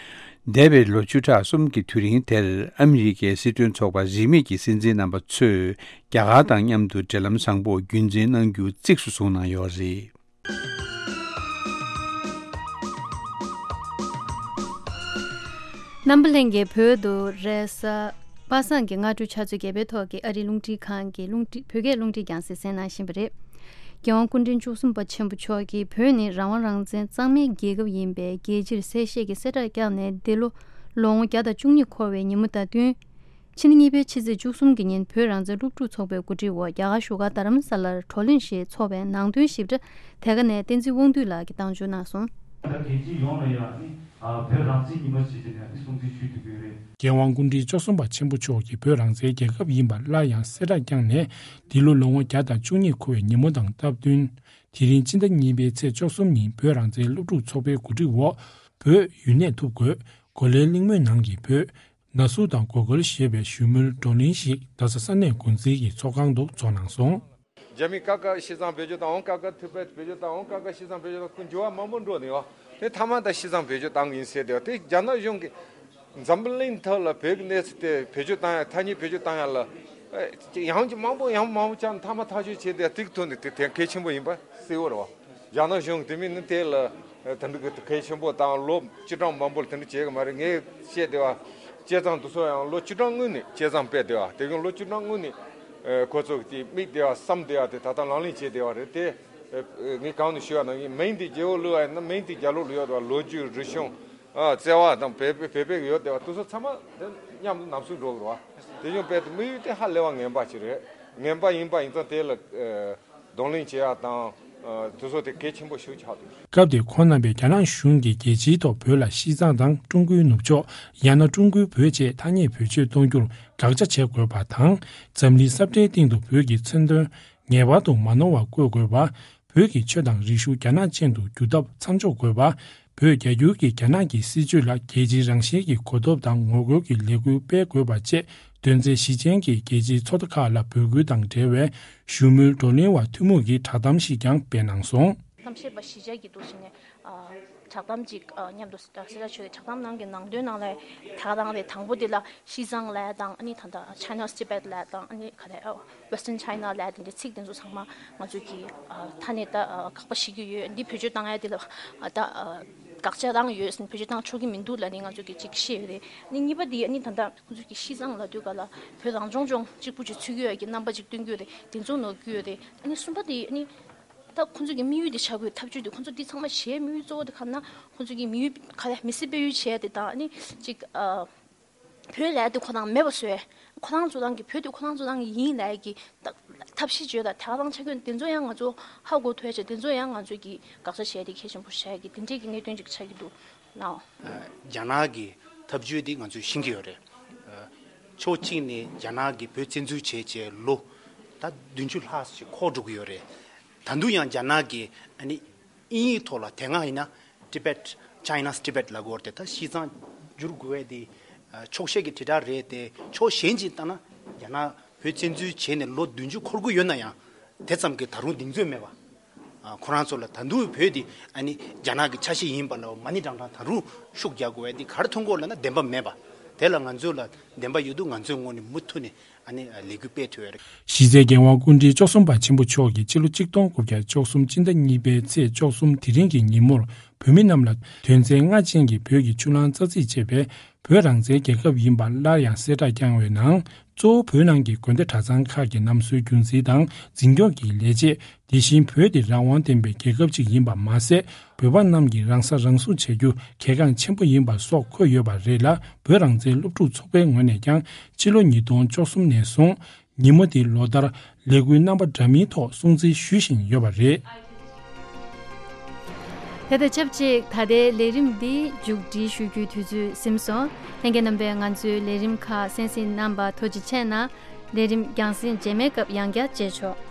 འདས་པའི་ལོ་བཅུ་ཕྲག་གསུམ་གྱི་དུས་རིང་དེར་ཨ་མི་རི་ཀའི་སྲིད་དོན་ཚོགས་པ་རིས་མེད་ཀྱི་སྲིད་འཛིན་རྣམ་པ་ཚོས་རྒྱ་གར་དང་མཉམ་དུ་འབྲེལ་ལམ་བཟང་པོ་རྒྱུན་འཛིན་གནང་རྒྱུ་གཙིགས་སུ་བཟུང་གནང་ཡོད་རེད། རྣམ་པ་ལྷན་རྒྱས། བོད་དུ་རེས་གཟའ་པ་སངས་ཀྱི་སྔ་དྲོ་ཆུ་ཚོད་བརྒྱད་པའི་ཐོག་གི་ཨ་རིའི་རླུང་འཕྲིན་ཁང་གི་རླུང་འཕྲིན། བོད་སྐད་རླུང་འཕྲིན་རྒྱང་སྲིང་གསན་གནང་བཞིན་པ་རེད། རྒྱལ་དབང་སྐུ་ཕྲེང་བཅུ་གསུམ་པ་ཆེན་པོ་མཆོག་གིས་བོད་ནི་རང་དབང་རང་བཙན་གཙང་མའི་རྒྱལ་ཁབ་ཡིན་པའི་རྒྱལ་སྤྱིར་གསལ་བཤད་ཀྱི་གསལ་བསྒྲགས་བསྐྱངས་ནས། འདི་ལོ་ལོ་ངོ་བརྒྱ་དང་བཅུ་གཉིས་འཁོར་བའི་ཉིན་མོ་དང་བསྟུན། ཕྱི་ཟླ་གཉིས་པའི་ཕྱི་ཚེས་བཅུ་གསུམ་གྱི་ཉིན་བོད་རང་བཙན་སློབ་ཕྲུག་ཚོགས་པའི་གོ་སྒྲིག་འོག་རྒྱ་གར་བཞུགས་སྒར་རྡ་རམ་ས་ལར་བགྲོ་གླེང་ཞིག་འཚོགས་པའི་ནང་དོན་ཞིབ་ཕྲ་དེ་ག་ནས་བསྟན་འཛིན་དབང་འདུས་ལགས་ཀྱིས་བཏང་བརྗོད་གནང་སོང་། ད་རྒྱལ་སྤྱི་ཡོངས་ལ་ཡང་ནི་བོད་རང་བཙན་ཉིན་མོ་ཞེས་བྱས་ནས་ནི་སྲུང་བརྩི་ཞུ་ཐུབ་ཀྱི་ཡོད་རེད། རྒྱལ་དབང་སྐུ་ཕྲེང་བཅུ་གསུམ་པ་ཆེན་པོ་མཆོག་གིས་བོད་རང་བཙན་རྒྱལ་ཁབ་ཡིན་པ་སླར་ཡང་གསལ་བསྒྲགས་བསྐྱངས་ནས། འདི་ལོ་ལོ་ངོ་བརྒྱ་དང་བཅུ་གཉིས་འཁོར་བའི་ཉིན་མོ་དང་སྟབས་བསྟུན། དེ་རིང་སྤྱི་ཟླ་གཉིས་པའི་ཚེས་བཅུ་གསུམ་ཉིན་བོད་རང་བཙན་སློབ་ཕྲུག་ཚོགས་པའི་གོ་སྒྲིག་འོག་བོད་ཡུན་གནས་ཐུབ་དགོས། གོ་ལའི་གླིང་མོའི་ནང་གི་བོད། ན་ཟུག་དང་གོ་གོལ་ཞེས་པའི་བཞུགས་མོལ་བགྲོ་གླེང་ཞིག་རྡ་ས་ས་གནས་འགོ་འཛིན་གྱི་ཚོགས་ཁང་དུ་འཚོགས་གནང་སོང་། རྒྱ་མི་ཀ་ཀ་ཤི་ཚང་བེད་སྤྱོད་དང་འོང་། ཀ་ཀ་ཐི་བེད་བེད་སྤྱོད་དང་འོང་། ཀ་ཀ་ཤི་ཚང་བེད་སྤྱོད་དང་ཀུན་འགྱུར་བ་མང་པོ་འགྲོ་ནས་ཡོད། དེ་མཐའ་མ་ད་ཤི་ཚང་བེད་སྤྱོད་བཏང་གི་ཡིན་ཟེར་དེ་དེ་རྒྱ་ནག་གཞུང་གིས་འཛམ་བུ་གླིང་ཐོག་ལ་བོད་ཀྱི་གནས་ཚུལ་དེ་བེད་སྤྱོད་བཏང་ཡ། ཐ་སྙད་བེད་སྤྱོད་བཏང་ཡ་ལ་ཡང་ཅིག་མང་པོ་ཡང་མང་པོ་བྱས་ནས་མཐའ་མ་ཐག་གཅོད་བྱས་དེ་ཏིག་ཐོན་ནས་དེ་དེ་གལ་ཆེན་པོ་ཡིན་པ་གསལ་བོ་རེད་བ། རྒྱ་ནག་གཞུང་གིས་དེ་མིན་ནི་དེ་ལ་དེ་འདྲ་གི་གལ་ཆེན་པོ་དང་ལོ་བཅུ་གྲངས་མང་པོ་ལ་དེ་འདྲ་བྱེད་གི་མ་རེད། ངས་བཤད་བསྡད་པ་བྱས་ཙང་དེ་ཚོ་ཡང་ལོ་བཅུ་གྲངས་སྔོན་ནས་བྱས་ཙང་སྤེལ་བསྡད་པ་དེ་གི་ལོ་བཅུ་གྲངས་སྔོན་ནས་ཁོ་ཚོ་གི་དེ་དམིགས་བསྡད་པ་བསམ་བསྡད་པ་དེ་ད་ལྟ་ལག་ལེན་བྱས་བསྡད་པ་རེད་དེ། ངས་གང་ནས་ཞུ་བ་ན་ངས་མིང་དེ་རྒྱལ་པོ་ལུས་པ་ཡིན་ན་མིང་དེ་རྒྱ་ལོ་ལུས་ཡོད་དེ་བ། ལོ་རྒྱུས་རིག་གཞུང་། ཨ་བརྩེ་བ་དང་བོད་པའི་བོད་པའི་ཡོད་བསྡད་པ་དེ་ཚོ་ཚང་མ་དེ་མཉམ་དུ་ནམ་སུ་འགྲོ་གི་རེད་བ། དེ་བཞིན་བོད་དུ་དམིགས་ཡུལ་དེ་ཧ་ལས་པ་ངན་པ་ཞིག་རེད། ངན་པ་ཡིན་པ་ཡིན་ཙང་དེ་ལ་གདོང་ལེན་བྱེད་ཡ་དང་དེ་ཚོ་དེ་གལ་ཆེན་པོ་ཞིག་ཆགས་འདུག། སྐབས་དེར་ཁོང་རྣམ་པས་རྒྱ་ནག་གཞུང་གིས་རྒྱལ་སྤྱིའི་ཐོག་བོད་ལ་ཤི་ཚང་དང་ཀྲུང་གོའི་ནུབ་ཕྱོགས་ཡང་ན་ཀྲུང་གོའི་བོད་ཅེས་ཐ་སྙད་བེད་སྤྱོད་གཏོང་རྒྱུར་དགག་བྱ་བྱེད་དགོས་པ་དང་། འཛམ་གླིང་ས་བཀྲའི་སྟེང་དུ་བོད་ཀྱི་མཚོན་དོན་ངེས་པར་དུ་མ་ནོར་བར་བཀོད་དགོས་པ། བོད་ཀྱི་ཆོས་དང་རིག་གཞུང་རྒྱ་ནག་ཅན་དུ་བསྒྱུར་ཐབས་མཚམས་འཇོག་དགོས་པ། བོད་རྒྱ་བསྒྱུར་གྱི་རྒྱ་ནག་གི་སྲིད་བྱུས་ལ་རྒྱལ་སྤྱིའི་རང་བཞིན་གྱི་གོ་རྟོགས་དང་ངོ་རྒོལ་གྱི་ལས་འགུལ་སྤེལ་དགོས་པ་བཅས་དོན་ཚན་བཞི་ཅན་གྱི་རྒྱལ་སྤྱིའི་ཚོགས་སྡེ་ཁག་ལ་འབོད་སྐུལ་དང་འབྲེལ་བའི་བཞུགས་མོལ་བགྲོ་གླེང་བ་ཐུན་མོང་གི་བསྒྲགས་གཏམ་ཞིག་ཀྱང་སྤེལ་གནང་སོང་། གཏམ་བཤད་པ་གཞིས་ཆགས་ཀྱི་འདུག་ཟེར་ནས་བསྒྲགས་གཏམ་ཅིག་མཉམ་དུ་གསལ་བསྒྲགས་བྱས་ཏེ། བསྒྲགས་གཏམ་ནང་གི་ནང་དོན་ནང་ལ་ད་ག་རང་རེད། དང་པོ་དེ་ལ་ཤི་ཚང་ལབ་ཡ་དང་། ཨ་ནི་ད་ལྟ་China's Tibet ལབ་ཡ་དང་། ཨ་ནི་ག་རེ་Western China ལབ་དེ་འདྲའི་ཚིག་དེ་ཚོ་ཚང་མ་ང་ཚོས་ཀྱི་ཨ་ཐ་སྙད་ད་ཨ་དགག་པ་བྱེད་ཀྱི་ཡོད། འདི་བེད་སྤྱོད་བཏང་ཡ་དེ་ལ་ཨ་ད་ཨ་དགག་བྱ་རང་ཡོད་ཟེར་ནས་བེད་སྤྱོད་བཏང་ཆོག་གི་མི་འདུག་ལབ་ནས་ང་ཚོས་ཀྱི་ཅིག་བཤད་ཡོད་རེད། ཨ་ནི་གཉིས་པ་དེ་ཨ་ནི་ད་ལྟ་ཁོང་ཚོས་ཀྱི་ཤི་ཚང་ལབ་དུས་ག་ལ་བོད་རང་སྐྱོང་ལྗོངས་གཅིག་པུ་ཅིག་ཚུད་ཀྱི་ཡོད་ཀྱི་རྣམ་པ་ཅིག་སྟོན་གྱི་ཡོད་རེད། དེ་ཚོ་ནོར་གྱི་ཡོད་རེད། ཨ་ནི་གསུམ་པ་དེ་ཨ་ནི་ད་ཁོང་ཚོས་ཀྱི་དམིགས་ཡུལ་དེ་བྱ་དགོས། ཐབས་ཇུས་དེ་ཁོང་ཚོ་འདི་ཚང་མ་བྱེད་དམིགས་ཡུལ་གཙོ་བོ་དེ་ག་རེ་ན། ཁོང་ཚོས་ཀྱི་དམིགས་ཡུལ་ག་རེ་མི་སེར་སྤེལ་ཡུལ་བྱས་དེ་དང་། ཨ་ནི་ཅིག་ཨ། བོད་ལབ་དེ་ཁོ་རང་མེད་པ་བཟོས། ཁོ་རང་ཚོ་རང་གི་བོད་དེ་ཁོ་རང་ཚོ་རང་གི་ཡིན་ལབ་ཀྱི་ཐབས་ཤེས་བྱོས་དང་། དེ་ག་རང་ཆ་རྐྱེན་དེ་ཚོ་ཡང་ང་ཚོ་ཧ་གོ་ཐུབ་ཡ་བྱས། དེ་ཚོ་ཡང་ང་ཚོས་ཀྱི་དགག་བྱ་བྱས་ཏེ་གལ་ཆེན་པོ་བྱ་ཡ་གི་དེ་འདྲས་ཀྱི་གནད་དོན་ཅིག་ཆགས་ཀྱི་འདུག་ནའོ། རྒྱ་ནག་གི་ཐབས་བྱུས་དེ་ང་ཚོས་ཤེས་ཀྱི་ཡོད་རེད། ཕྱོགས་གཅིག་ནས་རྒྱ་ནག་གིས་བོད་བཙན་འཛུལ་བྱས་བྱས་ལོ་ད་བདུན་ཅུ་ལྷག་ཅིག་འཁོར་འགྲོ་གི་ཡོད་རེད། ད་དུང་ཡང་རྒྱ་ནག་གིས་ཨ་ནི་དབྱིན་ཡིག་ཐོག་ལ་དེ་སྔ་ཡིན་ན་Tibet, China's Tibet ལབ་ཀྱི་ཡོད་རེད། ད་ཤི་ཚང་བསྒྱུར་དགོས་པ་དེ་ཕྱོགས་ཞེན་གྱི་དྲིལ་བསྒྲགས་རེད་དེ། ཕྱོགས་གཞན་གཅིག་ལྟ་ན་རྒྱ་ནག་བོད་བཙན་འཛུལ་བྱས་ནས་ལོ་བདུན་ཅུ་འཁོར་གྱི་ཡོད་ན་ཡང་དེ་ཙམ་གྱི་ད་རུང་གདེང་ཚོད་མེད་པ། ཨ། ཁོ་རང་ཚོ་ལ་ད་དུང་བོད་འདི་ཨ་ནི་རྒྱ་ནག་གི་ཆ་ཤས་ཡིན་པ་ལ་མ་ཎི་བགྲང་བགྲང་ད་རུང་ཤུགས་རྒྱག་དགོས་པ་འདི་ག་རེ་མཐོང་གི་ཡོད་ལབ་ན་བདེན་པ་མེད་པ། དེ་ལ་ང་ཚོ་ལ་བདེན་པ་ཡོད་དུས་ང་ཚོའི་ངོས་ནས་མུ་མཐུད་ནས་ཨ་ནི་ལས་འགུལ་སྤེལ་ཐུབ་ཡོད་རེད། གཞི་རྩའི་རྒྱལ་དབང་སྐུ་ཕྲེང་བཅུ་གསུམ་པ་ཆེན་པོ་མཆོག་གིས་སྤྱི་ལོ་གཅིག་སྟོང་དགུ་བརྒྱ་བཅུ་གསུམ་སྤྱི་ཟླ་གཉིས་པའི་ཚེས་བཅུ་གསུམ་དེ་རིང་གི་ཉིན་མོར་བོད་མི་རྣམས་ལ་དོན་ཚན་ལྔ་ཅན་གྱི་བོད་ཀྱི་ཆུ་གླང་རྩ་རྩིས་ཅེས་པའི་བོད་རང་བཙན་རྒྱལ་ཁབ་ཡིན་པ་སླར་ཡང་གསལ་བསྒྲགས་བསྐྱངས་པའི་ནང་། གཙོ་བོ་བོད་ནང་གི་དགོན་སྡེ་གྲྭ་ཚང་ཁག་གི་ནམ་སྲོལ་རྒྱུན་འཛིན་དང་འཛིན་སྐྱོང་གི་ལས་བྱེད། དེ་བཞིན་བོད་དེ་རང་དབང་ལྡན་པའི་རྒྱལ་ཁབ་ཅིག་ཡིན་པ་མ་ཟད། བོད་པ་རྣམས་ཀྱིས་རང་ས་རང་སྲུང་བྱ་རྒྱུ་གལ་འགངས་ཆེན་པོ་ཡིན་པ་སོགས་འཁོད་ཡོད་པ་རེད་ལ། བོད་རང་བཙན་སློབ་ཕྲུག་ཚོགས་པའི་ངོས་ནས་ཀྱང་ཕྱི་ལོ་ཉིས་སྟོང་བཅུ་གསུམ་ནས་བཟུང་ཉིན་མོ་དེ་ལོ་ལྟར་ལས་འགུལ་རྣམ་པ་འདྲ་མིན་ཐོག་སྲུང་བརྩི་ཞུ་བཞིན་ཡོད་པ་རེད། དེ་དང་ཆབས་ཅིག་ད་ལྟའི་ལས་རིམ་འདི་མཇུག་སྒྲིལ་ཞུ་རྒྱུའི་དུས་ཚོད་ཟིན་སོང་། ལྷན་རྒྱས་རྣམ་པས་ང་ཚོའི་ལས་རིམ་ཁག་གསན་གཟིགས་གནང་བར་ཐུགས་རྗེ་ཆེ་གནང་། ལས་རིམ་རྒྱང་སྲིང་རྗེས་མའི་སྐབས་ཡང་བསྐྱར་མཇལ་ཆོག།